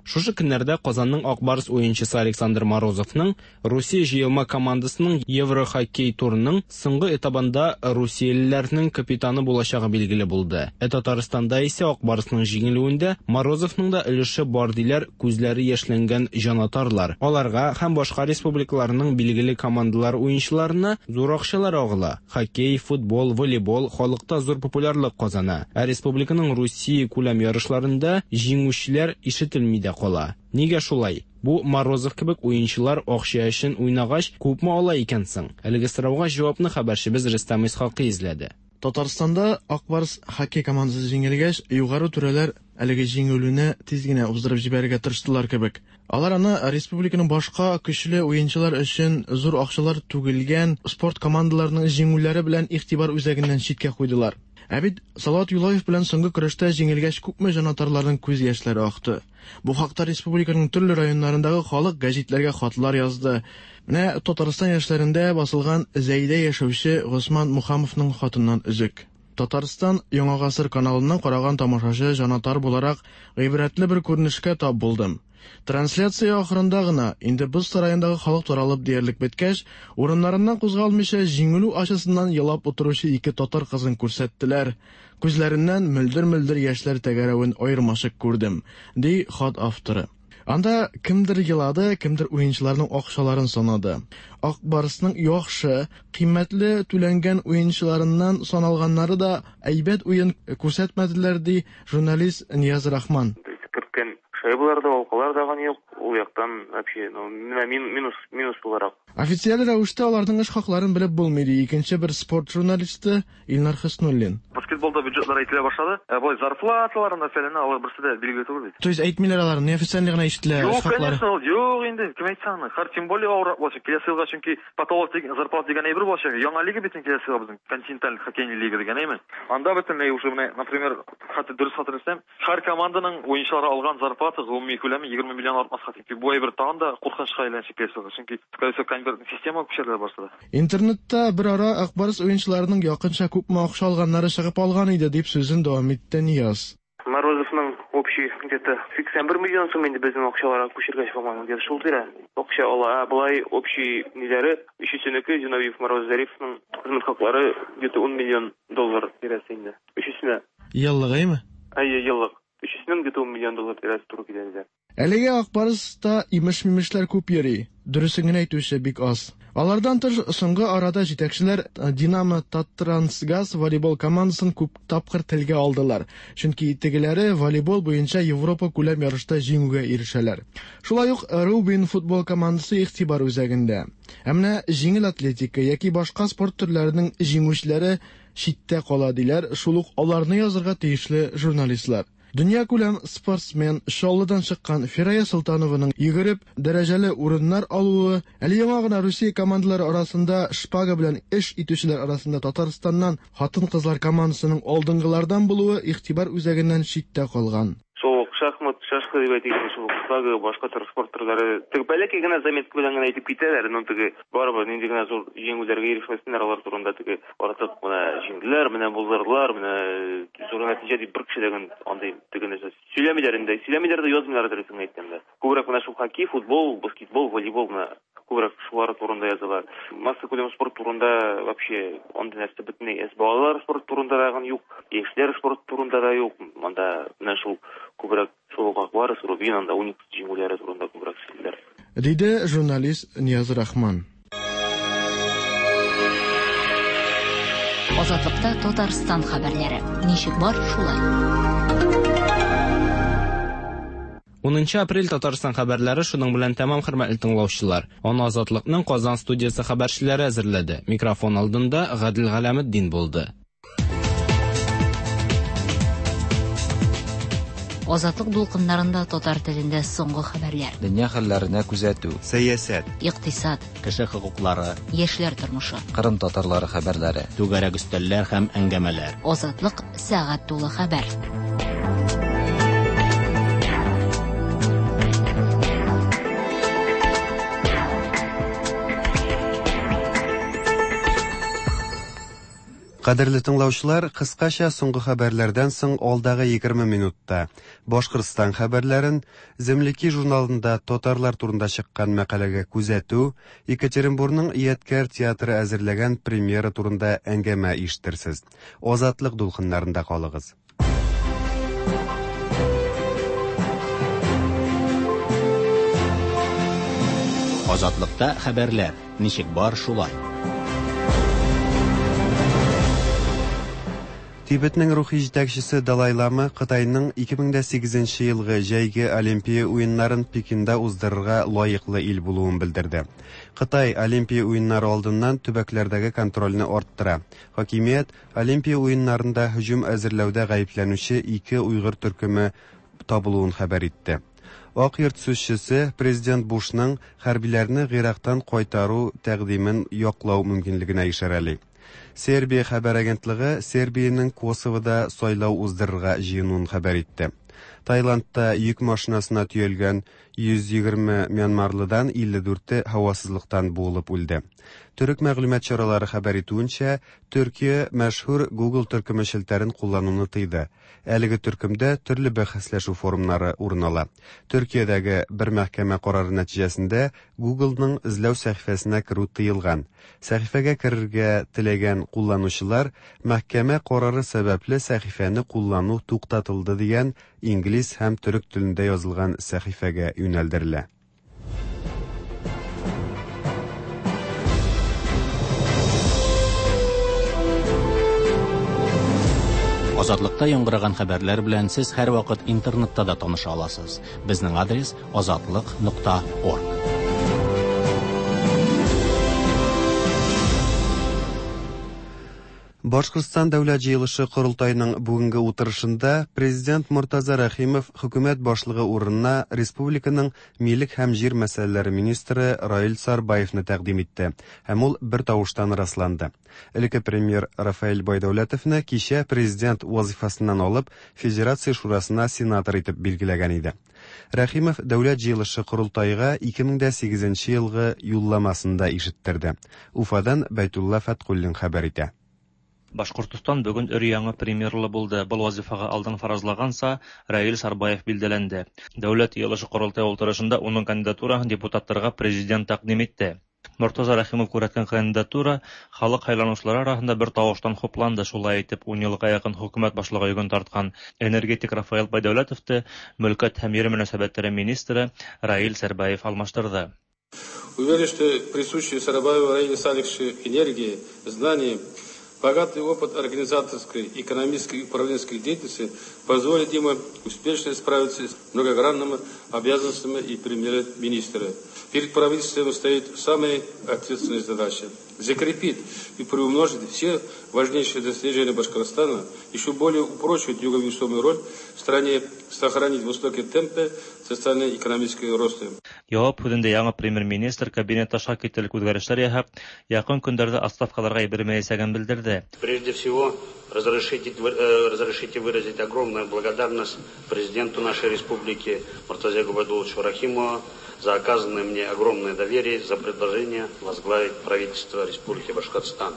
Шушы көннәрдә Казанның Ак Барс уенчысы Александр Морозовның Русия җыелма командасының Еврохоккей турының соңгы этабында русиялеләрнең капитаны булачагы билгеле булды. Ә Татарстанда исә Ак Барсның җиңелүендә Морозовның да өлеше бар диләр күзләре яшьләнгән җанатарлар. Аларга һәм башка республикаларның билгеле командалар уенчыларына зур акчалар агыла. Хоккей, футбол, волейбол халыкта зур популярлык казана. Ә республиканың Русия күләм ярышларында җиңүчеләр ишетелми дә кала. Нигә шулай? Бу Морозов кебек уенчылар акча өчен уйнагач күпме ала икән соң? Әлеге сорауга җавапны хәбәрчебез Рөстәм Исхакый эзләде.
Татарстанда Ак Барс хоккей командасы җиңелгәч, югары түрәләр әлеге җиңелүне тиз генә уздырып җибәрергә тырыштылар кебек. Алар аны республиканың башка көчле уенчылар өчен зур акчалар түгелгән спорт командаларының җиңүләре белән игътибар үзәгеннән читкә куйдылар. Ә бит Салават Юлаев белән соңгы көрәштә җиңелгәч күпме җанатарларның күз яшьләре акты. Бу хакта республиканың төрле районнарындагы халык гәзитләргә хатлар язды. Менә Татарстан яшьләрендә басылган Зәйдә яшәүче Госман Мухамовның хатыннан өзек. Татарстан Яңа гасыр каналыннан караган тамашачы җанатар буларак гыйбрәтле бер күренешкә тап булдым. Трансляция ахырында гына, инде боз сараендагы халык таралып диярлек беткәч, урыннарыннан кузгалмыйча җиңелү ачысыннан елап утыручы ике татар кызын күрсәттеләр. Күзләреннән мөлдер-мөлдер яшьләр тәгәрәвен аермачык күрдем, ди хат авторы. Анда кемдер елады, кемдер уенчыларның акчаларын санады. Ак Барсның яхшы, кыйммәтле түләнгән уенчыларыннан саналганнары да әйбәт уен күрсәтмәделәр, ди журналист Нияз Рахман.
Керткән шайбалар да, алкалар да юк, ул яктан вообще, ну, минус, минус буларак.
Официаль рәвештә аларның эш хакларын белеп булмый, ди икенче бер спорт журналисты Илнар Хөснуллин.
Баскетболда бюджетлар әйтелә башлады. Ә болай зарплаталар, мәсәлән, алар берсе дә билгеле түгел бит.
То есть әйтмиләр алар, неофициаль гына ишетелә эш хаклары.
Юк, конечно, юк инде, кем әйтсә аны. Хәр тем более авыррак булачак. Киләсе елга чөнки потолок дигән, зарплата дигән әйбер булачак. Яңа лига бит киләсе елга безнең, континенталь хоккейный лига дигән әйме. Анда бөтенләй уже менә, например, хәтта дөрес хәтерләсәм, һәр команданың уенчылары алган зарплата гомуми күләме егерме миллион артмаска. Чөнки бу әйбер тагын да куркынычка әйләнәчәк киләсе елга. Чөнки, скорее всего, конвертный система күчерелә башлады.
Интернетта бер ара Ак Барс уенчыларының якынча күпме акча алганнары чыгып алган иде, дип сүзен дәвам итте Нияз.
Морозовның общий где-то сиксән бер миллион сум инде безнең акчаларга күчергәч, по-моему, где-то шул тирә акча ала. Ә болай общий ниләре, өчесенеке, Зиновьев, Мороз, Зариповның хезмәт хаклары где-то ун миллион доллар тирәсе инде. Өчесенә.
Еллык, әйме?
Әйе, еллык. Өчесенең где-то ун миллион доллар тирәсе туры килә инде.
Әлегә Ак Барста имеш-мимешләр күп йөри, дөресен генә әйтүче бик аз. Алардан тыш, соңгы арада җитәкчеләр Динамо Таттрансгаз волейбол командасын күп тапкыр телгә алдылар. Чөнки тегеләре волейбол буенча Европа күләм ярышта җиңүгә ирешәләр. Шулай ук Рубин футбол командасы игътибар үзәгендә. Ә менә җиңел атлетика яки башка спорт төрләренең җиңүчеләре читтә кала диләр, шул ук аларны язырга тиешле журналистлар. Дөнья күләм спортсмен Чаллыдан чыккан Фирая Солтанованың йөгереп дәрәҗәле урыннар алуы, әле яңа гына Русия командалары арасында шпага белән эш итүчеләр арасында Татарстаннан хатын-кызлар командасының алдынгылардан булуы игътибар үзәгеннән читтә калган.
Шул шахмат,
Шашка дип әйтик, шул шпага, башка төр спорт төрләре. Теге бәләкәй генә заметка белән генә әйтеп китәләр, но теге барыбер нинди генә зур җиңүләргә ирешмәсеннәр, алар турында теге артык менә җиңделәр, менә булдырдылар, менә зур нәтиҗә дип бер кеше дә андый теге нәрсә сөйләмиләр инде. Сөйләмиләр дә, язмыйлар дөресен әйткәндә. Күбрәк менә шул хоккей, футбол, баскетбол, волейбол менә күбрәк шулар турында язалар. Массакүләм спорт турында вообще андый нәрсә бөтенләй әз. Балалар спорт турында да юк, яшьләр спорт турында да юк. Монда менә шул күбрәк шул Ак Барс, Рубин, анда Уникс җиңүләре турында күбрәк сөйлиләр.
Диде журналист Нияз Рахман.
Азатлыкта Татарстан хәбәрләре. Ничек бар, шулай.
Унынчы апрель Татарстан хәбәрләре шуның белән тәмам, хөрмәтле тыңлаучылар. Аны Азатлыкның Казан студиясе хәбәрчеләре әзерләде. Микрофон алдында Гадел Галәметдин булды.
Азатлык дулкыннарында татар телендә соңгы хәбәрләр.
Дөнья хәлләренә күзәтү,
сәясәт,
икътисад,
кеше хокуклары,
яшьләр тормышы,
Кырым татарлары хәбәрләре,
түгәрәк өстәлләр һәм әңгәмәләр.
Азатлык сәгать тулы хәбәр.
Кадерле тыңлаучылар, кыскача соңгы хәбәрләрдән соң алдагы егерме минутта Башкортстан хәбәрләрен, Земляки журналында татарлар турында чыккан мәкаләгә күзәтү, Екатеринбургның Ядкәр театры әзерләгән премьера турында әңгәмә ишетерсез. Азатлык дулкыннарында калыгыз.
Азатлыкта хәбәрләр ничек бар, шулай.
Тибетнең рухи җитәкчесе Далай Лама Кытайның ике мең дә сигезенче елгы җәйге Олимпия уеннарын Пекинда уздырырга лаеклы ил булуын белдерде. Кытай Олимпия уеннары алдыннан төбәкләрдәге контрольне арттыра. Хакимият Олимпия уеннарында һөҗүм әзерләүдә гаепләнүче ике уйгыр төркеме табылуын хәбәр итте. Ак йорт сүзчесе президент Бушның хәрбиләрне Гыйрактан кайтару тәкъдимен яклау мөмкинлегенә ишарәли. Сербия хәбәр агентлыгы Сербиянең Косовода сайлау уздырырга җыенуын хәбәр итте. Таиландта йөк машинасына төялгән йөз егерме мьянмарлыдан илле дүрте һавасызлыктан буылып үлде. Төрек мәгълүмат чаралары хәбәр итүенчә, Төркия мәшһүр Google төркеме челтәрен куллануны тыйды. Әлеге төркемдә төрле бәхәсләшү форумнары урын ала. Төркиядәге бер мәхкәмә карары нәтиҗәсендә Googleның эзләү сәхифәсенә керү тыелган. Сәхифәгә керергә теләгән кулланучылар мәхкәмә карары сәбәпле сәхифәне куллану туктатылды дигән инглиз һәм төрек телендә язылган сәхифәгә юнәлдерелә.
Азатлыкта яңгыраган хәбәрләр белән сез һәрвакыт интернетта да таныша аласыз. Безнең адрес азатлык нокта орг.
Башкортстан Дәүләт җыелышы корылтайының бүгенге утырышында президент Мортаза Рәхимов хөкүмәт башлыгы урынына республиканың милек һәм җир мәсьәләләре министры Раил Сарбаевны тәкъдим итте, һәм ул бер тавыштан расланды. Элекке премьер Рафаэль Байдәүләтовны кичә президент вазифасыннан алып Федерация шурасына сенатор итеп билгеләгән иде. Рәхимов Дәүләт җыелышы корылтайга ике мең дә сигезенче елгы юлламасында ишеттерде. Уфадан Бәйтулла Фәткуллин хәбәр итә.
Башкортостан бүген өр-яңы премьерлы булды. Был вазифаға алдан фаразлаганса, Раил Сарбаев билдәләнде. Дәүләт йыйылышы корылтай ултырышында уның кандидатураһын депутаттарга президент тәкъдим итте. Мортаза Рәхимов күрһәткән кандидатура халык һайланучылары арасында бер тавыштан хупланды. Шулай итеп, ун елга якын хөкүмәт башлыгы йөген тарткан энергетик Рафаэль Байдәүләтовты мөлкәт һәм ер мөнәсәбәтләре министры Раил Сарбаев алмаштырды.
Уверен, что присущие Сарбаеву Раилю Салиховичу энергии, знания, богатый опыт организаторской, экономической и управленческой деятельности позволит ему успешно справиться с многогранными обязанностями и премьер-министра. Перед правительством стоит самая ответственная задача – закрепить и приумножить все важнейшие достижения Башкортостана, еще более упрочить его весомую роль в стране, сохранить высокие темпы социально-экономического роста.
Яуап һүҙендә яңы премьер-министр кабинет аша кителек үҙгәрештәр яһап, яҡын көндәрҙә отставкаларға ебәрмәйәсәген белдерҙе. белдерҙе.
Прежде всего, разрешите, разрешите выразить огромную благодарность президенту нашей республики Муртазе Губайдулловичу Рахимову за оказанное мне огромное доверие, за предложение возглавить правительство Республики Башкортостан.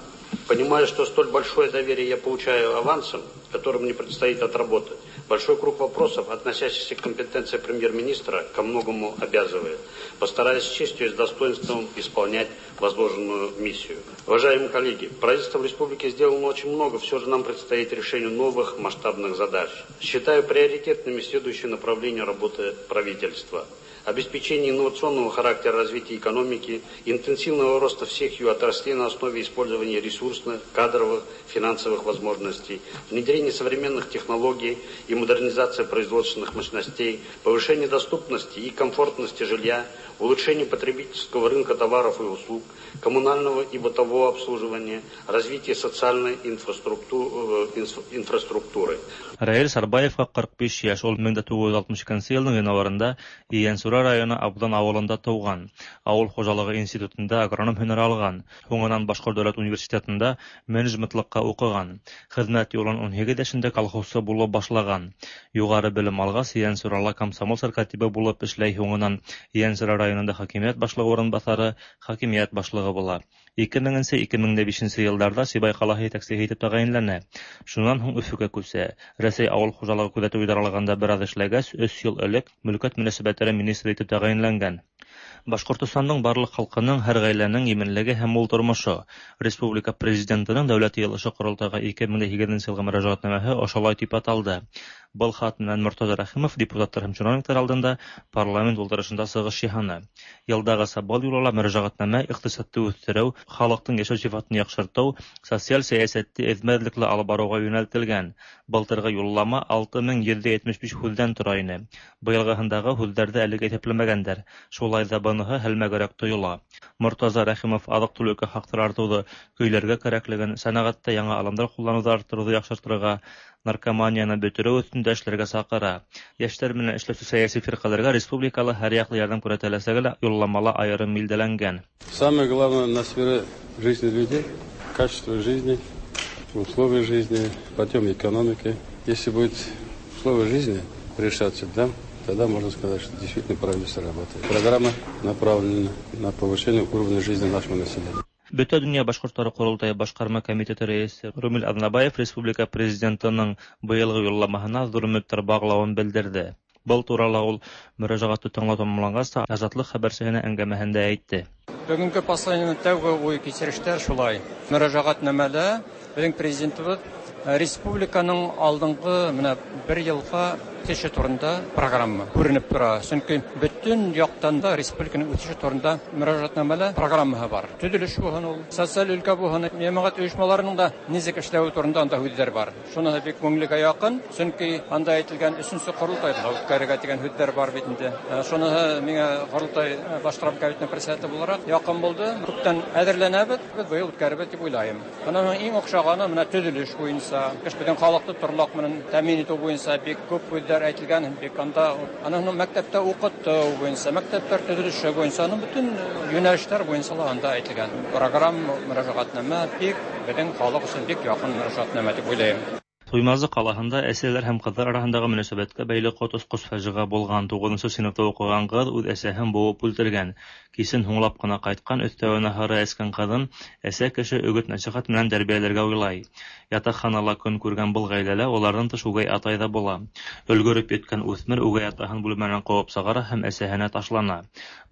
Понимаю, что столь большое доверие я получаю авансом, который мне предстоит отработать. Большой круг вопросов, относящихся к компетенции премьер-министра, ко многому обязывает. Постараюсь с честью и с достоинством исполнять возложенную миссию. Уважаемые коллеги, правительство в республике сделано очень много, все же нам предстоит решение новых масштабных задач. Считаю приоритетными следующие направления работы правительства. Обеспечение инновационного характера развития экономики, интенсивного роста всех ее отраслей на основе использования ресурсных, кадровых, финансовых возможностей, внедрение современных технологий и модернизация производственных мощностей, повышение доступности и комфортности жилья, улучшение потребительского рынка товаров и услуг, коммунального и бытового обслуживания, развитие социальной инфраструктуры.
Раил Сарбаевҡа ҡырҡ биш йәш, ул мең дә туғыҙ йөҙ алтмыш икенсе йылдың январында Ейәнсура районы Абҙан ауылында тыуған. Ауыл хужалығы институтында агроном һөнәре алған. Һуңынан Башҡорт дәүләт университетында менеджментлыҡҡа уҡыған. Хеҙмәт юлын ун һигеҙ йәшендә колхозсы булып башлаған. Юғары белем алғас, Ейәнсурала комсомол сәркатибы булып эшләй, һуңынан Ейәнсура районында хакимиәт башлығы урынбаҫары, хакимиәт башлығы була. ике меңенсе - ике мең дә бишенсе йылдарҙа Сибай ҡалаһы етәксеһе итеп тәғәйенләнә. Шунан һуң Өфөгә күсә. Рәсәй ауыл хужалығы күҙәтеү идаралығында бер аҙ эшләгәс, өс йыл элек мөлкәт мөнәсәбәттәре министры итеп тәғәйенләнгән. Башҡортостандың барлыҡ халҡының, һәр ғаиләнең именлеге һәм мул тормошо. Республика президентының Дәүләт Йыйылышы ҡоролтайға ике мең дә һигеҙенсе йылғы мөрәжәғәтнамәһе ошолай тип аталды. Был хат менән Мортаза Рәхимов депутаттар һәм чиновниктар алдында парламент ултырышында сығыш яһаны. Йылдағыса был юлы ла мөрәжәғәтнамә иҡтисадты үҫтереү, халыҡтың йәшәү сифатын яҡшыртыу, социаль сәйәсәтте эҙмәҙлекле алып барыуға йүнәлтелгән. Былтырғы юллама алты мең йөҙ етмеш биш һүҙҙән тора ине. Быйылғыһындағы һүҙҙәрҙе әлегә иҫәпләмәгәндәр. Шулай ҙа быныһы һәлмәгерәк тойола. Мортаза Рәхимов аҙыҡ-түлеккә хаҡтар артыуҙы көйләргә кәрәклеген, сәнәғәттә яңы алымдар ҡулланыуҙы арттырыуҙы яҡшыртырға, наркоманияны бөтөрөү өҫтөндә эшләргә саҡыра. Йәштәр менән эшләүсе сәйәси фирҡәләргә республикала һәр яҡлы ярҙам күрһәтеләсәге лә юлламала айырым билдәләнгән.
Самое главное на сфере жизни людей, качество жизни, условия жизни, подъем экономики. Если будет условия жизни решаться, да, тогда можно сказать, что действительно правительство работает. Программа направлена на повышение уровня жизни нашего населения.
Бөтә донъя башҡорттары ҡоролтайы башҡарма комитеты рәйесе Румил Аҙнабаев республика президентының быйылғы юлламаһына ҙур өмөттәр бағлауын белдерҙе. Был турала ул мөрәжәғәтте тыңлау тамамланғас та Азатлыҡ хәбәрсеһенә әңгәмәһендә әйтте.
Бөгөнгө посланиеның тәүге уй кисерештәр шулай. Мөрәжәғәтнамәлә беҙҙең президентыбыҙ республиканың алдынғы менә бер йылға үҫеше турында программа күренеп тора. Сөнки бөтөн яҡтан да республиканың үҫеше турында мөрәжәғәтнамәлә программаһы бар. Төҙөлөш булһын ул, социаль өлкә булһын, йәмәғәт ойошмаларының да нисек эшләүе турында анда һүҙҙәр бар. Шуныһы бик күңелгә яҡын, сөнки анда әйтелгән өсөнсө ҡоролтайҙы ла үткәрергә тигән һүҙҙәр бар бит инде. Шуныһы миңә ҡоролтай башҡарма комитетының председателе булараҡ яҡын булды. Күптән әҙерләнәбеҙ, беҙ быйыл үткәрербеҙ тип уйлайым. Бының иң оҡшағаны менә төҙөлөш буйынса, беҙҙең халыҡты торлаҡ менән тәьмин итеү буйынса бик күп һүҙҙәр әйтелгән, бик анда аның мәктәптә уҡытыу буйынса, мәктәптәр төҙөлөшө буйынса, аның бөтөн йүнәлештәр буйынса ла анда әйтелгән. Программа мөрәжәғәтнамә бик беҙҙең халыҡ өсөн бик яҡын мөрәжәғәтнамә тип уйлайым.
Туймазы ҡалаһында әсәләр һәм ҡыҙҙар араһындағы мөнәсәбәткә бәйле ҡот осҡос фажиғә булған. Туғыҙынсы синыфта уҡыған ҡыҙ үҙ әсәһен быуып үлтергән. Кисен һуңлап ҡына ҡайтҡан, өҫтәүенә һары эскән ҡыҙын әсә кеше өгөт-нәсихәт менән тәрбиәләргә уйлай. Ятаҡханала көн күргән был ғаиләлә уларҙан тыш үгәй атай ҙа була. Өлгөрөп еткән үҫмер үгәй атаһын бүлмәнән ҡыуып сығара һәм әсәһенә ташлана.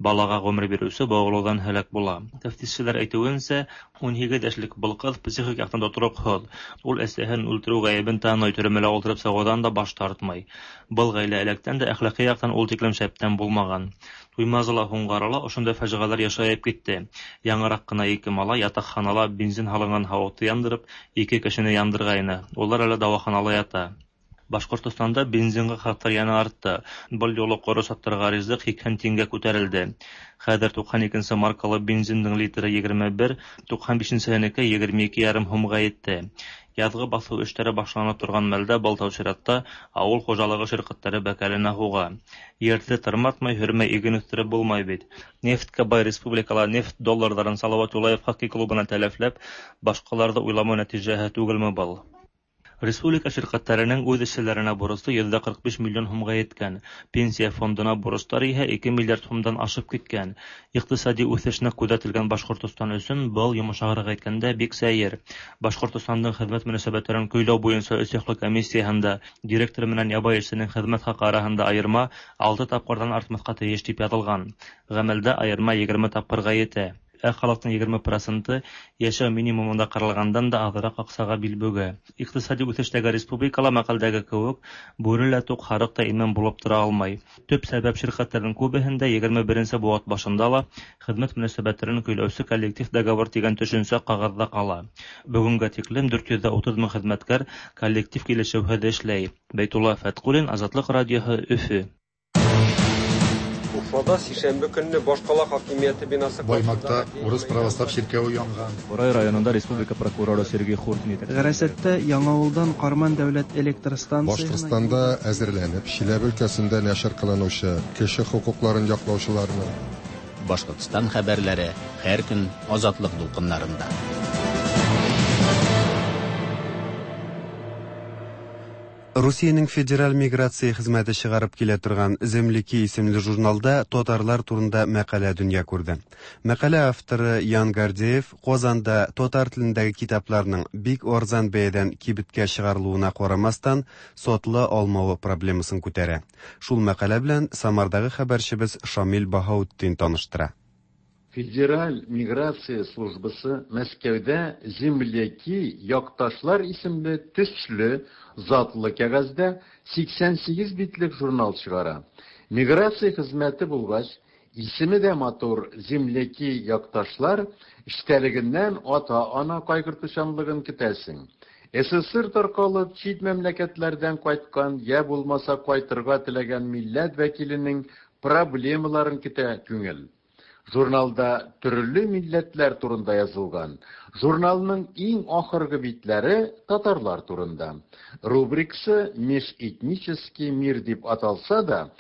Балаға ғүмер биреүсе быуылыуҙан һәләк була. Тәфтишселәр әйтеүенсә, ун һигеҙ йәшлек был ҡыҙ психик яҡтан тотороҡһоҙ. Ул әсәһен үлтереү ғәйебен таный, төрмәлә ултырып сығыуҙан да баш тартмай. Был ғаилә электән дә әхлаҡи яҡтан ул тиклем шәптән булмаған. Туймазыла һуңғы арала ошондай фажиғәләр йышайып китте. Яңыраҡ ҡына ике малай ятаҡханала бензин һалынған һауытты яндырып, ике кешене яндырғайны. Улар әле дауаханала ята. Башҡортостанда бензинға хаҡтар йәнә артты. Был юлы ҡоро саттарға ризыҡ һикһән тиңгә күтәрелде. Хәҙер туҡһан икенсе маркалы бензиндың литры егерме бер, туҡһан бишенсеһенеке егерме ике ярым һумға етте. Язгы басу эшләре башланып торган мәлдә был тәү чиратта авыл хужалыгы ширкәтләре бәкәленә һуға. Ерҙе тырматмай, һөрмәй иген үҫтереп булмай бит. Нефткә бай республикала нефть долларҙарын Салават Юлаев хоккей клубына тәләфләп, башҡаларҙы уйламау нәтижәһе түгелме был? Республика ширкәттәренең үҙ эшселәренә бурысы йөҙҙә ҡырҡ биш миллион һумға еткән. Пенсия фондына бурыстар иһә ике миллиард һумдан ашып киткән. Иҡтисади үҫеш ныҡ күҙәтелгән Башҡортостан өсөн был, йомшағыраҡ әйткәндә, бик сәйер. Башҡортостандың хеҙмәт мөнәсәбәттәрен көйләү буйынса өс яҡлы комиссияһында директор менән ябай эшсенең хеҙмәт хаҡы араһында айырма алты тапҡырҙан артмаҫҡа тейеш тип яҙылған. Ғәмәлдә айырма егерме тапҡырға етә. Ә халыҡтың егерме проценты йәшәү минимумында ҡаралғандан да аҙыраҡ аҡсаға бил бөгә. Иҡтисади үҫештәге республикала мәҡәлдәге кеүек бүре лә туҡ, һарыҡ та имен булып тора алмай. Төп сәбәп ширкәттәрҙең күбеһендә егерме беренсе быуат башында ла хеҙмәт мөнәсәбәттәрен көйләүсе коллектив договор тигән төшөнсә ҡағыҙҙа ҡала. Бөгөнгә тиклем дүрт йөҙ утыҙ мең хеҙмәткәр коллектив килешеүһеҙ эшләй. Бәйтулла Фәтҡуллин, Азатлыҡ радиоһы, Өфө.
Уфада сишәмбе көнне башҡала хакимиәте бинасы
Баймакта урыс православ чиркәве янган.
Бурай районында республика прокуроры Сергей Хуртин.
Ғәрәсәттә Яңауылдан Ҡарман дәүләт электр станцияһына
Башҡортостанда әҙерләнеп, Чиләбе өлкәсендә нәшер ҡылыныусы кеше хоҡуҡларын яҡлаусыларны
Башҡортостан хәбәрләре һәр көн Азатлыҡ дулҡындарында.
Русиянең федераль миграция хеҙмәте чыгарып килә торган «Земляки» исемле журналда татарлар турында мәҡәлә дөнья күрҙе. Мәҡәлә авторы Ян Гордеев Ҡазанда татар телендәге китапларның бик арзан бәйәдән кибеткә чыгарылыуына ҡарамаҫтан сатыла алмауы проблемасын күтәрә. Шул мәҡәлә белән Самарҙағы хәбәрсебеҙ Шамил Баһаутдин таныштыра.
Федераль миграция службасы Мәскәүдә «Земляки» якташлар исемле төсле затлы кәгазьдә һикһән һигеҙ битлек журнал чыгара. Миграция хезмәте булгач, исеме дә матур «Земляки» якташлар эчтәлегеннән ата-ана кайгыртучанлыгын көтәсең. СССР тарҡалып, чит мәмләкәтләрдән кайткан йә булмаса кайтырга теләгән милләт вәкиленең проблемаларын көтә күңел. Журналда төрле милләтләр турында язылган. Журналның иң ахыргы битләре татарлар турында. Рубрикасы «Межэтнический мир» дип аталса да,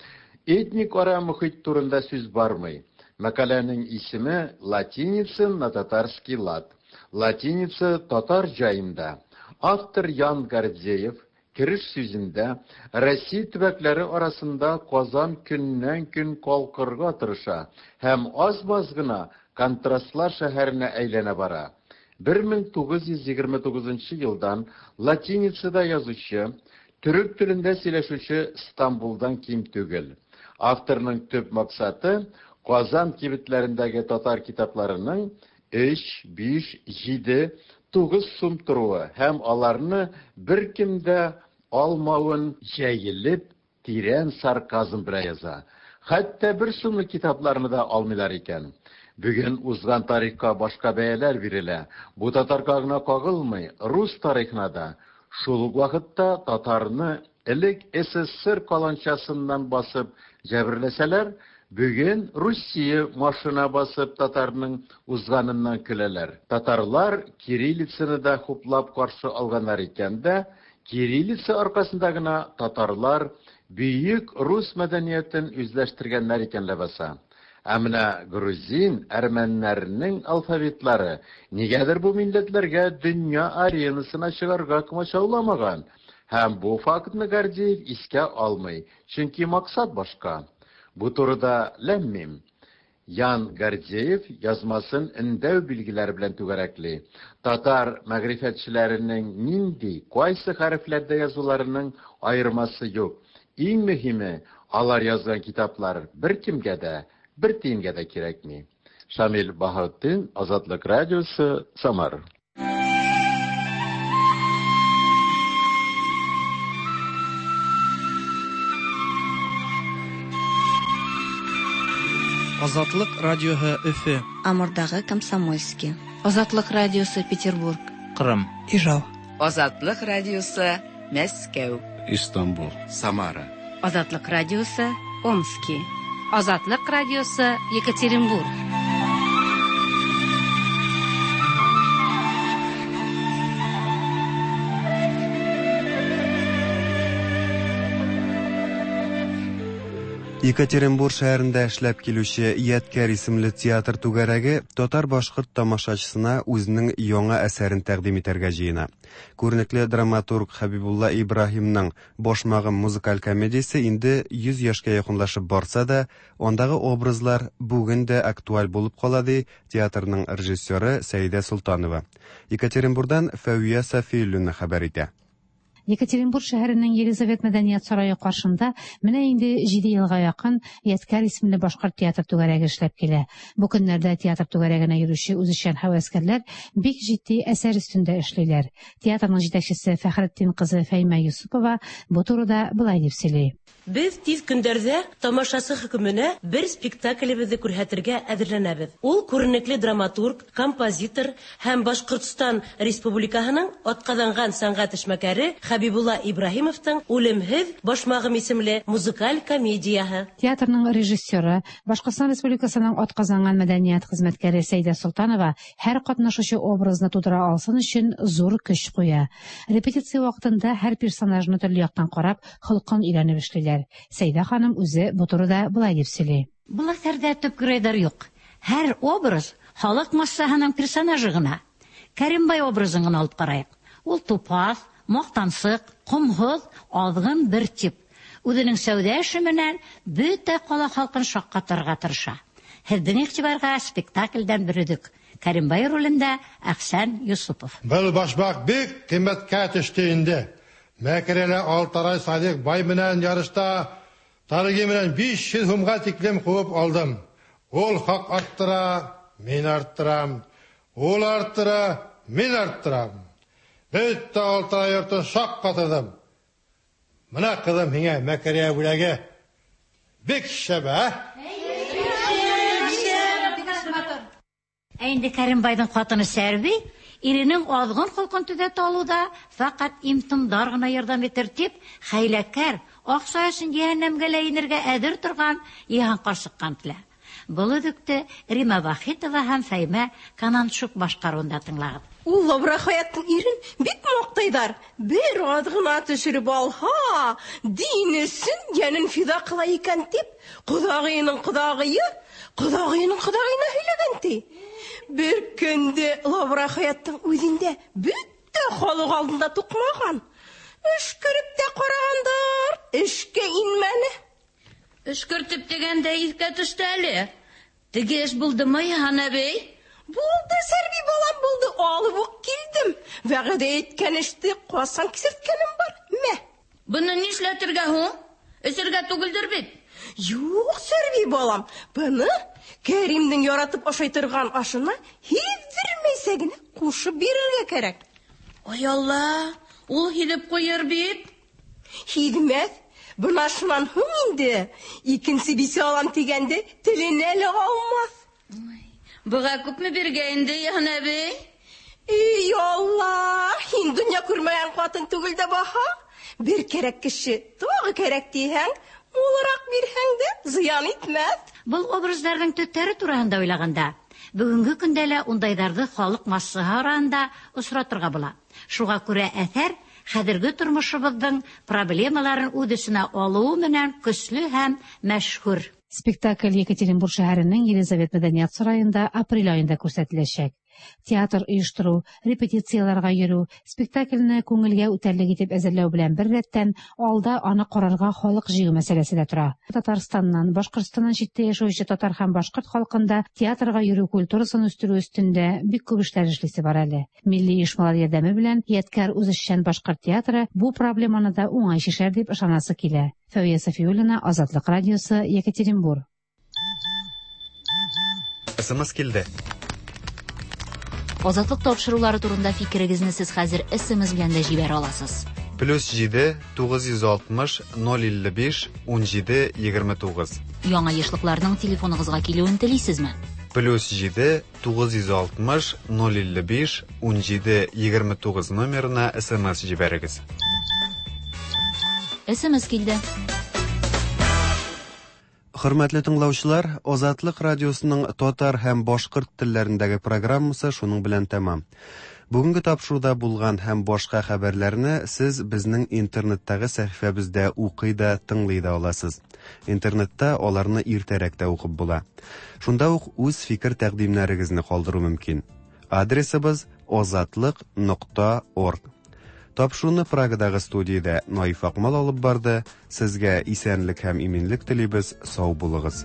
этник ара мөхит турында сүз бармый. Мәкаләнең исеме «Латиница на татарский лад». Латиница татар җаенда. Автор Ян Гордеев кереш сүзендә Россия төбәкләре арасында Казан көннән-көн калкырга тырыша һәм аз-маз гына контрастлар шәһәренә әйләнә бара. бер мең тугыз йөз егерме тугызынчы елдан латиницада язучы, төрек телендә сөйләшүче Стамбулдан ким түгел. Авторның төп максаты Казан кибетләрендәге татар китапларының өч, биш, җиде, тугыз сум торуы һәм аларны беркем дә алмавын җәелеп, тирән сарказм белән яза. Хәтта бер сумлык китапларны да алмыйлар икән. Бүген узган тарихка башка бәяләр бирелә. Бу татарга гына кагылмый, рус тарихына да. Шул ук вакытта татарны элек СССР каланчасыннан басып җәберләсәләр, бүген Русия машина басып татарның узганыннан көләләр. Татарлар кириллицаны да хуплап каршы алганнар икән дә, кириллица аркасында гына татарлар бөек рус мәдәниятен үзләштергәннәр икән ләбаса. Ә менә грузин, әрмәннәрнең алфавитлары нигәдер бу милләтләргә дөнья аренасына чыгарга комачауламаган. Һәм бу фактны Гордеев искә алмый, чөнки максат башка. Бу турыда ләм-мим. Ян Гордеев язмасын өндәү билгеләре белән түгәрәкли. Татар мәгърифәтчеләренең нинди, кайсы хәрефләрдә язуларының аермасы юк. Иң мөһиме, алар язган китаплар беркемгә дә, бер тиенгә дә кирәкми. Шамил Баһаутдин, Азатлык радиосы, Самар.
Азатлык радиоһы Өфө.
Амурдагы Комсомольский. Азатлык радиосы Петербург.
Кырым.
Ижау.
Азатлык радиосы Мәскәү.
Истанбул. Самара.
Азатлык радиосы Омский. Азатлык радиосы Екатеринбург.
Екатеринбур шәһәрендә эшләп килүче Ядкәр исемле театр түгәрәге татар-башкорт тамашачысына үзенең яңа әсәрен тәкъдим итәргә җыена. Күренекле драматург Хәбибулла Ибраһимның Башмагым музыкаль комедиясе инде йөз яшькә якынлашып барса да, андагы образлар бүген дә актуаль булып кала, ди театрның режиссеры Сәйдә Солтанова. Екатеринбурдан Фәвия Сафиуллина хәбәр итә.
Екатеринбур шәһәренең Елизавет мәдәният сарае каршында менә инде җиде елга якын Ядкәр исемле башкорт театр түгәрәге эшләп килә. Бу көннәрдә театр түгәрәгенә йөрүче үзешчән һәвәскәрләр бик җитди әсәр өстендә эшлиләр. Театрның җитәкчесе Фәхретдин кызы Фәймә Юсупова бу турыда былай дип сөйли.
Без тиз көндәрдә тамашасы хөкеменә бер спектаклебезне күрһәтергә әзерләнәбез. Ул күренекле драматург, композитор һәм Башкортстан Республикаһының атказанган сәнгать эшмәкәре Хәбибулла Ибраһимовтың Үлемһеҙ башмағым исемле музыкаль комедияһы.
Театрның режиссеры, Башкортстан Республикасының атказанган мәдәният хезмәткәре Сәйдә Солтанова һәр катнашучы образны тудыра алсын өчен зур көч куя. Репетиция вакытында һәр персонажны төрле яктан карап, холкын өйрәнеп эшлиләр. Сәйдә ханым үзе бу турыда былай дип сөйли.
Был әҫәрҙә төп геройҙар юҡ. Һәр образ халыҡ массаһының персонажы ғына. Кәримбай образын ғына алып ҡарайыҡ. Ул тупаҫ, маҡтансыҡ, ҡомһоҙ, аҙғын бер тип. Үҙенең сәүҙә эше менән бөтә ҡала халҡын шаҡҡатырға тырыша. Һеҙҙең иғтибарға спектаклдән бер өҙөк. Кәримбай ролендә Әхсән Юсупов.
Был башмаҡ бик ҡиммәткә төштө инде. Мәкерелә Алтарай Садиҡ бай менән ярышта тарыгы менән биш йөҙ һумға тиклем ҡыуып алдым. Ул хаҡ арттыра, мин арттырам. Ул арттыра, мин арттырам. Бөтә Алтарай йортон шаҡ ҡатырҙым. Мына ҡыҙым һиңә мәкерә бүләге. Бик шәп, ә?
Ә инде Кәримбайҙың ҡатыны Сәрби иренең аҙғын холҡон төҙәтә алыуҙа фәҡәт имтомдар ғына ярҙам итер тип, хәйләкәр, аҡса өсөн йәһәннәмгә лә инергә әҙер торған Йыһан ҡарсыҡҡа ынтыла. Был өҙөктө Рима Вахитова һәм Фәймә Кананшук башҡарыуында тыңлағыҙ.
Ул Лавра Хаяттың ирен бик маҡтайҙар. Бер аҙ ғына төшөрөп алһа, дин өсөн йәнен фиҙа ҡыла икән тип, ҡоҙағыйының ҡоҙағыйы, ҡоҙағыйының ҡоҙағыйына һөйләгән ти. Бер көндө Лавра Хаяттың үҙендә бөтә халыҡ алдында туҡмаған. Өшкөрөп тә ҡарағандар, эшкә инмәне.
Өшкөртөп тигәндә иҫкә төштө әле. Теге эш булдымы, Йыһан әбей?
Булды, Сәрби балам, булды. Алып уҡ килдем. Вәғәҙә иткән эште ҡасан кисерткәнем бар. Мә.
Быны нишләтергә һуң? Эсергә түгелдер бит.
Юҡ, Сәрби балам, быны Кәримдең яратып ашай торған ашына һиҙҙермәйсә генә ҡушып бирергә кәрәк.
Ай Алла, ул һиҙеп ҡуйыр бит.
Һиҙмәҫ. Бына шунан һуң инде икенсе бисә алам тигәнде теленә лә алмаҫ.
Быға күпме биргә инде, Йыһан әбей?
Эй, Алла, һин донъя күрмәгән ҡатын түгел дә баһа. Бер кәрәк кеше тағы кәрәк тиһәң, мулыраҡ бирһәң дә зыян итмәҫ.
Был образдарҙың төптәре тураһында уйлағанда, бөгөнгө көндә лә ундайҙарҙы халыҡ массаһы араһында осратырға була. Шуға күрә әҫәр хәҙерге тормошобоҙҙоң проблемаларын үҙ эсенә алыуы менән көслө һәм мәшһүр.
Спектакль Екатеринбур шәһәренең Елизавет мәдәният сарайында апрель айында күрһәтеләсәк. Театр оештырыу, репетицияларға йөрөү, спектакльне күңелгә үтәрлек итеп әзерләү белән бер рәттән алда аны ҡарарға халыҡ җыю мәсьәләсе дә тора. Татарстаннан, Башҡортостаннан читтә яшәүче татар һәм башҡорт халҡында театрға йөрөү культурасын үҫтерү өҫтөндә бик күп эшләр эшлисе бар әле. Милли оешмалар ярҙәме белән Ядкәр үзешчән башҡорт театры бу проблеманы да уңай шишәр дип ышанасы килә. Фәүзиә Сафиуллина, Азатлык радиосы, Екатеринбур.
СМС килде.
Азатлык тапшырулары турында фикерегезне сез хәзер СМС белән дә җибәрә аласыз.
Плюс җиде тугыз йөз алтмыш ноль илле биш ун җиде егерме тугыз.
Яңа ешлыкларның телефоныгызга килүен телисезме?
Плюс җиде тугыз йөз алтмыш ноль илле биш ун җиде егерме тугыз номерына СМС җибәрегез.
СМС килде.
Хөрмәтле тыңлаучылар, Азатлык радиосының татар һәм башкорт телләрендәге программасы шуның белән тәмам. Бүгенге тапшыруда булган һәм башка хәбәрләрне сез безнең интернеттагы сәхифәбездә укый да, тыңлый да аласыз. Интернетта аларны иртәрәк тә укып була. Шунда ук үз фикер-тәкъдимнәрегезне калдыру мөмкин. Адресыбыз озатлык нокта орг. Тапшыруны Прагадагы студиядә Наиф Акмал алып барды. Сезгә исәнлек һәм иминлек телибез. Сау булыгыз.